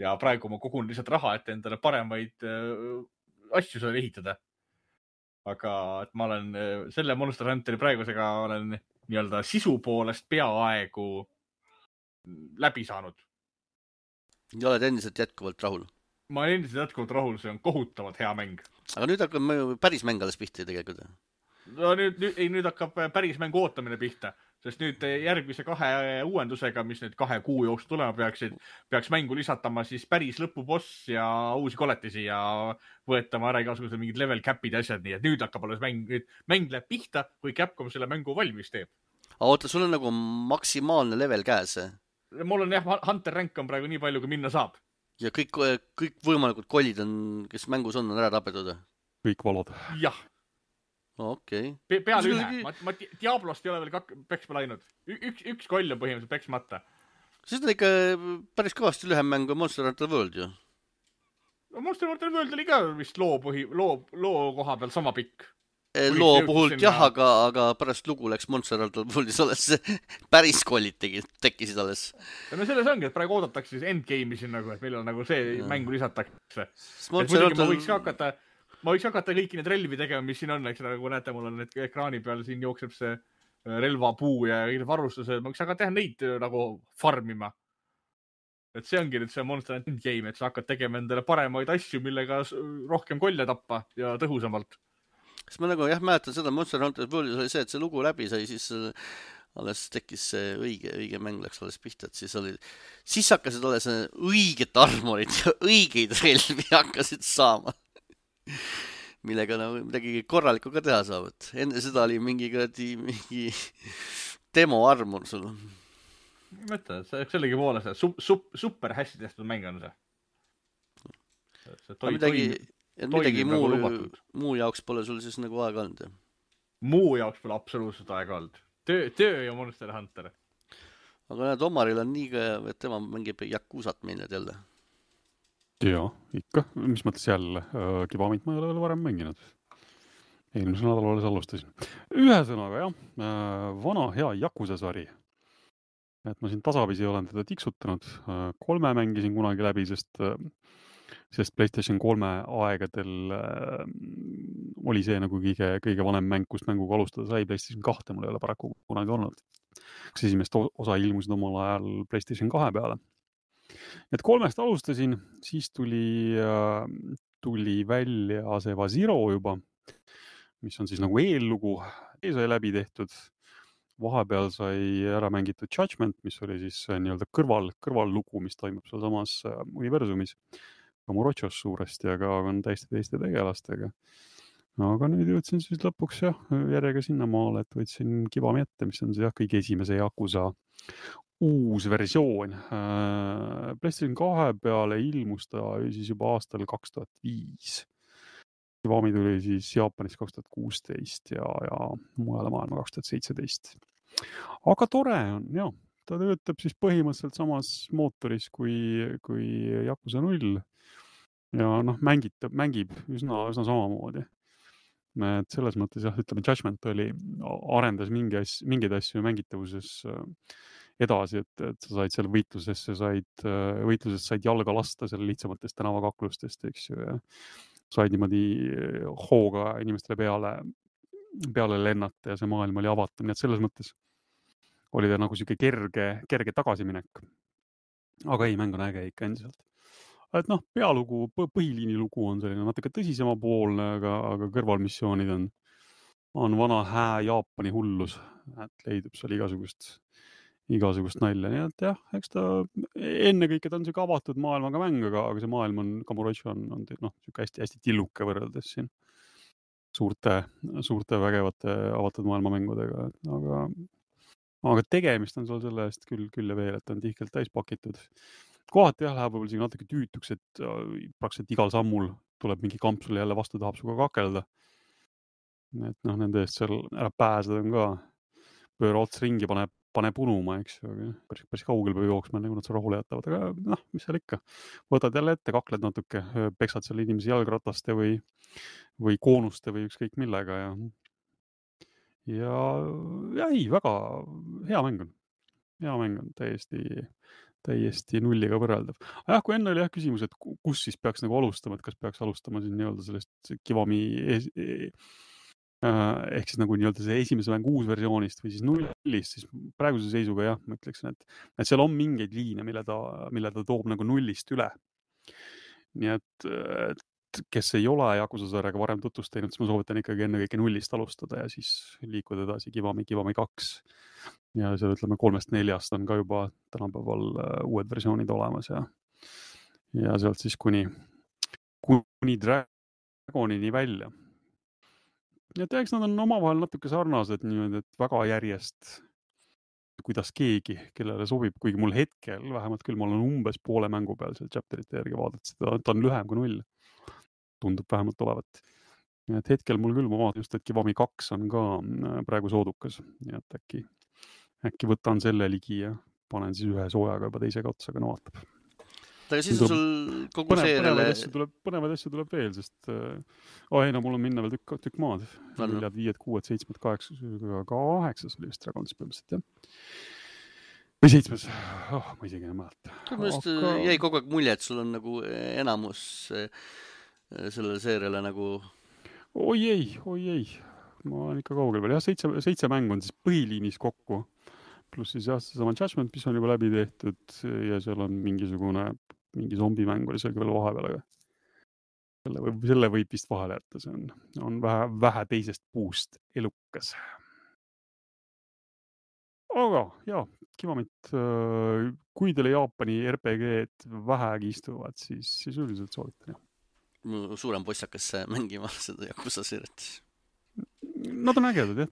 Ja praegu ma kogun lihtsalt raha, et endale paremaid asju seal ehitada. Aga et ma olen selle Monster Hunteri praegusega olen nii-öelda sisu poolest peaaegu läbi saanud. Ja oled endiselt jätkuvalt rahul? Ma olen endiselt jätkuvalt rahul, see on kohutavalt hea mäng. Aga nüüd hakkab päris mäng alles pihta tegelikult. No nüüd hakkab päris mängu ootamine pihta. sest nüüd järgmise 2 uuendusega, mis nüüd 2 kuu jooksul tulema peaks mängu lisatama siis päris lõpuboss ja uusi koletisi ja võetama ära igasugused mingid level cap'id ja asjad, nii et nüüd hakkab alles mäng läheb pihta, kui Capcom selle mängu valmis teeb. aga oota, sul on nagu maksimaalne level käes mul on jah, Hunter rank on praegu nii palju, kui minna saab. ja kõik võimalikud kollid on, kes mängus on ära tapetud? kõik valod. jah. Okei. Peale ühe. Ma Diablost ei ole veel peksma läinud. Üks koll on põhimõtteliselt peksmata. See on ikka päris kõvasti lühem mäng kui Monster Hunter World ju. No Monster Hunter World oli ka vist loo koha peal sama pikk. Loo puhult jah, aga pärast lugu läks Monster Hunter Worldis alles päris kollid tekkisid alles. No selles ongi, et praegu oodatakse siis endgame'i siin nagu, et millal nagu see mängu lisatakse. Ma võiks hakata kõiki need relvi tegema, mis siin on, eks nagu näete, mul on need ekraani peal, siin jookseb see relvapuu ja varustused, ma võiks hakata teha neid nagu farmima. Et see ongi nüüd see Monster Hunter Endgame, et sa hakkad tegema endale paremaid asju, millega rohkem kolle tappa ja tõhusamalt. Kas ma nagu jah mäletan seda Monster Hunter Worldis oli see, et see lugu läbi sai, siis alles tekkis see õige mäng läks alles pihta, et siis hakkasid alles õiget armorit ja õigeid relvi hakkasid saama, millega nagu midagi korralikku ka teha saab, et enne seda oli mingi demo armor sul. Mõtle, sellegi poole see super hästi tehtud mäng on see. Midagi muu jaoks pole sul siis nagu aega olnud, jah? Muu jaoks pole absoluutselt aega olnud. Töö ja Monster Hunter. Aga näed, Omaril on nii ka, et tema mängib Yakuzat meil nüüd jälle. Jaa, ikka. Mis mõttes jälle? Kivamit ma ei ole varem mänginud. Eelmisel nädalal alles alustasin. Ühesõnaga, jah, vana hea Yakuza sari. Et ma siin tasapisi olen teda tiksutanud. 3 mängisin kunagi läbi, sest PlayStation 3 aegadel oli see nagu kõige vanem mäng, kust mänguga alustada sai. PlayStation 2 mul ei ole paraku kunagi olnud. Kas esimest osa ilmusid omal ajal PlayStation 2 peale. Et 3 alustasin, siis tuli välja Aseva Zero juba, mis on siis nagu eellugu. Sai läbi tehtud. Vahepeal sai ära mängitud Judgment, mis oli siis nii-öelda kõrvallugu, mis toimub seal samas universumis. Kamurochos suuresti, aga on täiesti teiste tegelastega. Aga nüüd jõudsin siis lõpuks järjega sinna maale, et võtsin Kivami ette, mis on see kõige esimese Yakuza uus versioon. PlayStation 2 peale ilmus ta siis juba aastal 2005. Kivami tuli siis Jaapanis 2016 ja mujale maailma 2017. Aga tore on, jah. Ta töötab siis põhimõtteliselt samas mootoris kui Yakuza 0. Ja mängib üsna samamoodi. Et selles mõttes jah, ütleme, Judgment arendas mingeid asju mängitavuses edasi, et sa said seal võitlusest said jalga lasta seal lihtsamatest tänavakaklustest, eks ju, ja said niimoodi hooga inimestele peale lennata ja see maailm oli avatud, nii et selles mõttes oli ta nagu siuke kerge tagasiminek. Aga ei, mäng on äge ikka endiselt. Et pealugu, põhiliini lugu on selline natuke tõsisema poolne, aga kõrvalmissioonid on vana hää Jaapani hullus, et leidub seal igasugust nalja. Nii et jah, eks ta ennekõike ta on siuke avatud maailmaga mäng, aga see maailm on, Kamurocho on siuke hästi tilluke võrreldes siin suurte vägevate avatud maailmamängudega, aga tegemist on sul selle eest küll ja veel, et on tihkelt täis pakitud. Kohati jah, läheb võib-olla tüütuks, et praktiliselt igal sammul tuleb mingi kamp sulle jälle vastu, tahab suga kakelda. Et nende eest seal ära pääseda on ka pööra ots ringi, pane punuma, eks ju, aga päris kaugel peab jooksma, nagu nad seal rahule jätavad, aga mis seal ikka. Võtad jälle ette, kakled natuke, peksad seal inimesi jalgrataste või koonuste või ükskõik millega ja ei, väga hea mäng on. Hea mäng on täiesti nulliga võrreldav. Aga kui enne oli küsimus, et kus siis peaks nagu alustama, et kas peaks alustama siin nii-öelda sellest Kivami ehk siis nagu nii-öelda see esimese mängu uusversioonist või siis nullist, siis praeguse seisuga jah, ma ütleksin, et seal on mingeid liine, mille ta toob nagu nullist üle. Nii et kes ei ole Yakuza sarjaga varem tutvust teinud, siis ma soovitan ikkagi ennekõike nullist alustada ja siis liikuda edasi Kivami 2. ja seal ütleme 3-4 on ka juba tänapäeval uued versioonid olemas ja sealt siis kuni Dragonini välja. Ja eks nad on omavahel natuke sarnased niimoodi, et väga järjest, kuidas keegi, kellele sobib, kuigi mul hetkel, vähemalt küll, ma olen umbes poole mängu peal seal chapterite järgi vaadates, ta on lühem kui 0. Tundub vähemalt olevat. Et hetkel mul küll, ma vaatan just, et Kiwami 2 on ka praegu soodukas. Ja et äkki võtan selle ligi ja panen siis ühe soojaga juba teisega otsa, aga no vaatab. Aga siis on sul kogu seeriale... Põnevaid asju tuleb veel, sest ei, no mul on minna veel tükk maad. 4, 5, 6, 7, 8, 8 oli vist Dragons põhimõtteliselt, jah. Või 7. Ma isegi ei mäleta. Tõenäoliselt jäi kogu aeg mulje, et sul on nagu enamus sellele seeriale nagu... Oi ei. Ma olen ikka kaugel veel. Jah, 7 mängu on siis põhiliinis kokku. Pluss siis jah, seesama Judgment, mis on juba läbi tehtud ja seal on mingi zombimäng oli seal veel vahepeal, aga selle võib vist vahele jätta, see on vähe teisest puust elukas. Aga jah, Kiwamit, kui teile Jaapani RPG-d vähegi istuvad, siis üldiselt soovitan, jah. Suurem poissakas mängima seda Yakuza seeriat. Nad on ägedad, jah.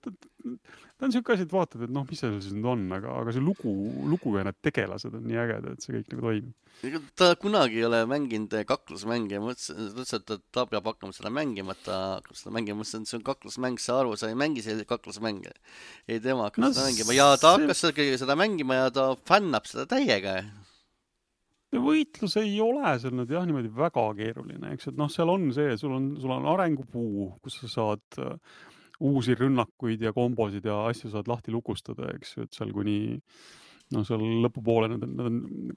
Ta on siuke asi, et vaatad, et mis see siis nüüd on, aga see lugu ja need tegelased on nii ägedad, et see kõik nagu toimib. Ta kunagi ei ole mänginud kaklusmänge ja mõtlesin, et ta peab hakkama seda mängima, et ta hakkab seda mängima, mõtlesin, et see on kaklusmäng, sa aru, sa ei mängi selliseid kaklusmänge. Ei, tema hakkab seda mängima ja ta hakkas seda mängima ja ta fännab seda täiega. Võitlus ei ole seal nüüd jah niimoodi väga keeruline, eks, et seal on see, sul on arengupuu, kus sa saad uusi rünnakuid ja kombosid ja asju saad lahti lukustada, eks ju, et seal kuni seal lõpupoole need on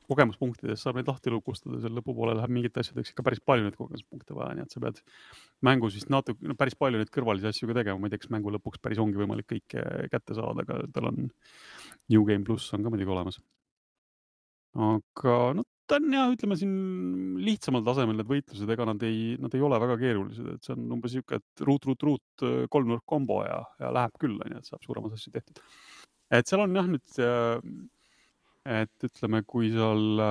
kogemuspunktides saab neid lahti lukustada, seal lõpupoole läheb mingit asjadeks ikka päris palju neid kogemuspunkte vaja, nii et sa pead mängus vist natuke päris palju neid kõrvalisi asju ka tegema, ma ei tea, kas mängu lõpuks päris ongi võimalik kõike kätte saada, aga tal on New Game Plus on ka muidugi olemas. Aga ta on jah, ütleme siin lihtsamal tasemel need võitlused, ega nad ei ole väga keerulised, et see on umbes siuke, et ruut, 3-nurk kombo ja läheb küll, et saab suuremas asju tehtud. Et seal on jah nüüd, et ütleme, kui seal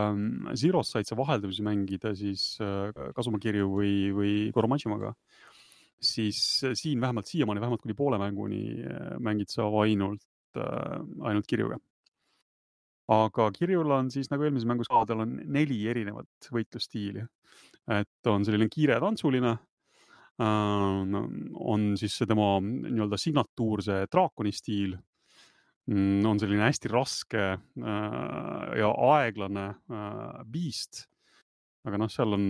Zeros said sa vaheldusi mängida, siis Kasuma Kirju või Koromajimaga, siis siin vähemalt siiamaani, vähemalt kuni poole mänguni mängid sa ainult Kirjuga. Aga Kirjul on siis nagu eelmises mängus ka, tal on 4 erinevat võitlusstiili. Et on selline kiire tantsuline, on siis see tema nii-öelda signatuur, see draakoni stiil, on selline hästi raske ja aeglane beast. Aga seal on,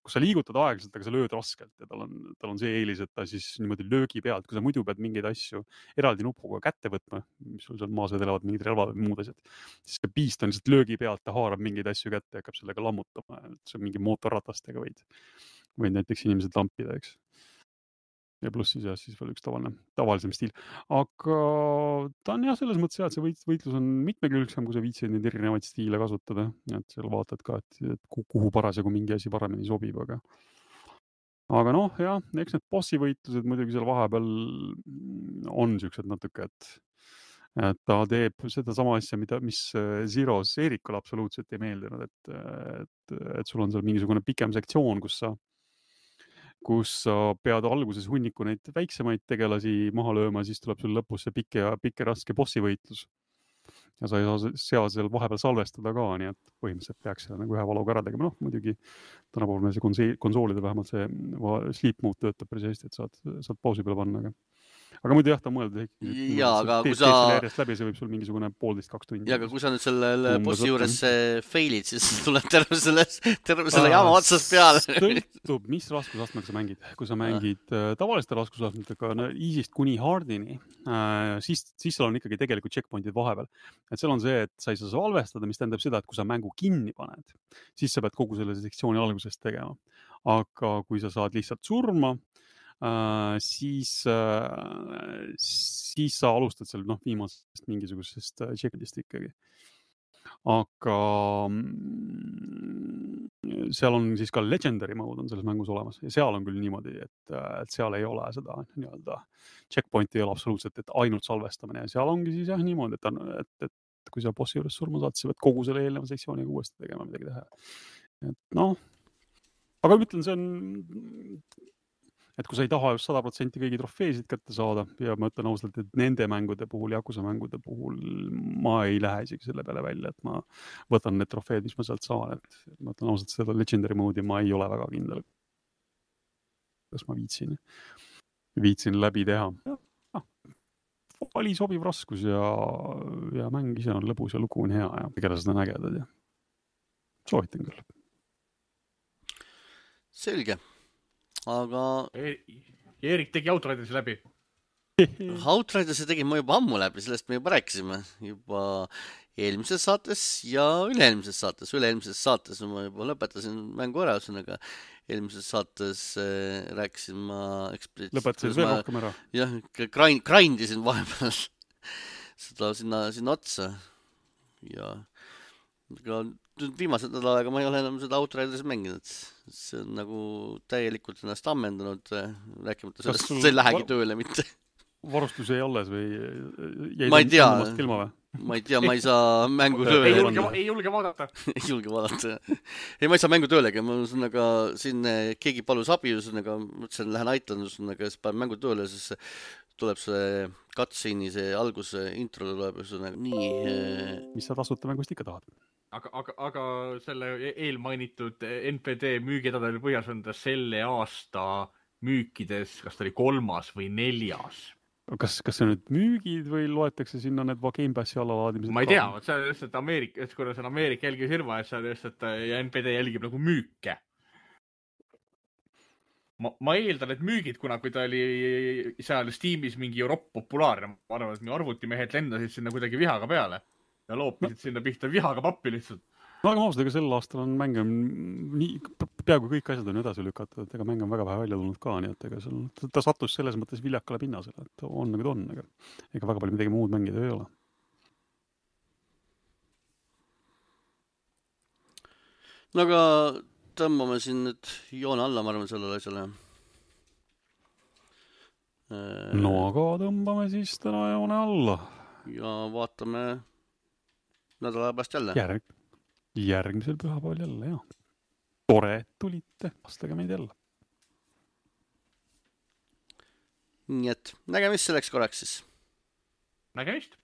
kus sa liigutad aeglaselt, aga sa lööd raskelt ja tal on see eelis, et ta siis niimoodi löögi pealt, kui sa muidu pead mingeid asju eraldi nupuga kätte võtma, mis sul seal maas elavad mingid relvad või muud asjad, siis see beast on lihtsalt löögi pealt, ta haarab mingeid asju kätte ja hakkab sellega lammutama, et see on mingi mootorratastega võid näiteks inimesed lampida, eks. Ja pluss siis veel üks tavalisem stiil. Aga ta on jah, selles mõttes jah, et see võitlus on mitmekülgsem, kui sa viitsid neid erinevaid stiile kasutada. Et seal vaatad ka, et kuhu parasjagu mingi asi paremini sobib. Aga jah, eks need bossi võitlused muidugi seal vahepeal on siuksed natuke, et ta teeb seda sama asja, mis Zeros Eerikule absoluutselt ei meeldinud, et sul on seal mingisugune pikem sektsioon, kus sa pead alguses hunniku neid väiksemaid tegelasi maha lööma, siis tuleb sul lõpus see pikk ja raske bossi võitlus. Ja sa ei saa seal vahepeal salvestada ka, nii et põhimõtteliselt peaks seda nagu ühe valuga ära tegema. Muidugi tänapäeval meil see konsoolide vähemalt see sleep mode töötab päris hästi, et saad pausi peale panna, aga muidu jah, ta mõeldud. Jaa, aga kui sa... järjest läbi, see võib sul mingisugune 1,5-2 tundi. Ja, aga kui sa nüüd selle bossi juures failid, siis tuleb terve selle jama otsast peale. Sõltub, mis raskusastmega sa mängid. Kui sa mängid tavaliste raskusastmetega easy'st kuni hardini, siis seal on ikkagi tegelikult checkpointid vahepeal. Et seal on see, et sa ei saa salvestada, mis tähendab seda, et kui sa mängu kinni paned, siis sa pead kogu selle sektsiooni algusest tegema. Aga kui sa saad lihtsalt surma, siis sa alustad seal viimasest mingisugusest checkpointist ikkagi. Aga seal on siis ka legendary mode on selles mängus olemas ja seal on küll niimoodi, et seal ei ole seda nii-öelda checkpointi ei ole absoluutselt, et ainult salvestamine ja seal ongi siis jah niimoodi, et kui sa bossi juures surma saad, siis sa pead kogu selle eelneva sektsiooniga uuesti tegema midagi teha. Et noh, aga ma ütlen, see on, et kui sa ei taha just 100% kõigi trofeesid kätte saada ja ma ütlen ausalt, et nende mängude puhul, Yakuza mängude puhul ma ei lähe isegi selle peale välja, et ma võtan need trofeed, mis ma sealt saan, et ma ütlen ausalt, seda legendary mode'i ma ei ole väga kindel. Kas ma viitsin läbi teha. Oli sobiv raskus ja mäng ise on lõbus ja lugu on hea ja tegelased on ägedad ja soovitan küll. Selge. Aga Eerik tegi Outridersi läbi. Outridersi tegin ma juba ammu läbi, sellest me juba rääkisime juba eelmises saates ja üle-eelmises saates. Üle-eelmises saates ma juba lõpetasin mängu ära, ühesõnaga eelmises saates rääkisin ma lõpetasid veel rohkem ära? Jah, grindisin vahepeal seda sinna otsa ja viimased nädalaga ma ei ole enam seda Outridersi mänginud. See on nagu täielikult ennast ammendanud, rääkimata sellest, see ei lähegi tööle mitte. Varustus jäi alles või ma ei tea, ma ei saa mängu tööle. Ei julge vaadata. Ei julge vaadata. Ei, ma ei saa mängu töölega. Ma siin keegi palus abi, mõtlesin, lähen aitan, siis panen mängu tööle, siis tuleb see cutscene'i, see alguse intro tuleb nii. Mis sa tasuta mängust ikka tahad? Aga selle eelmainitud NPD müügidadel põhjas on ta selle aasta müükides, kas ta oli 3. või 4. Kas see nüüd müügid või loetakse sinna need Game Passi allalaadimised? Ma ei tea, see on lihtsalt Ameerika, kuna see on Ameerika jälgifirma, et see on lihtsalt ja NPD jälgib nagu müüke. Ma eeldan, et müügid, kuna kui ta oli seal Steamis mingi Euroopa populaarne, ma arvan, et meie arvutimehed lendasid sinna kuidagi vihaga peale ja loopisid sinna pihta vihaga pappi lihtsalt. No aga ausalt, ega sel aastal on mänge peaaegu kõik asjad on edasi lükatud, et ega mäng on väga vähe välja tulnud ka, nii et ega ta sattus selles mõttes viljakale pinnasele, et on nagu ta on, ega väga palju midagi muud mängida ei ole. No aga tõmbame siin nüüd joone alla, ma arvan, sellele asjale. No aga tõmbame siis täna joone alla. Ja vaatame nädala pärast jälle. Järgmisel pühapäeval jälle, jah. Tore, et tulite. Vastage meid jälle. Nii et nägemist selleks korraks siis. Nägemist.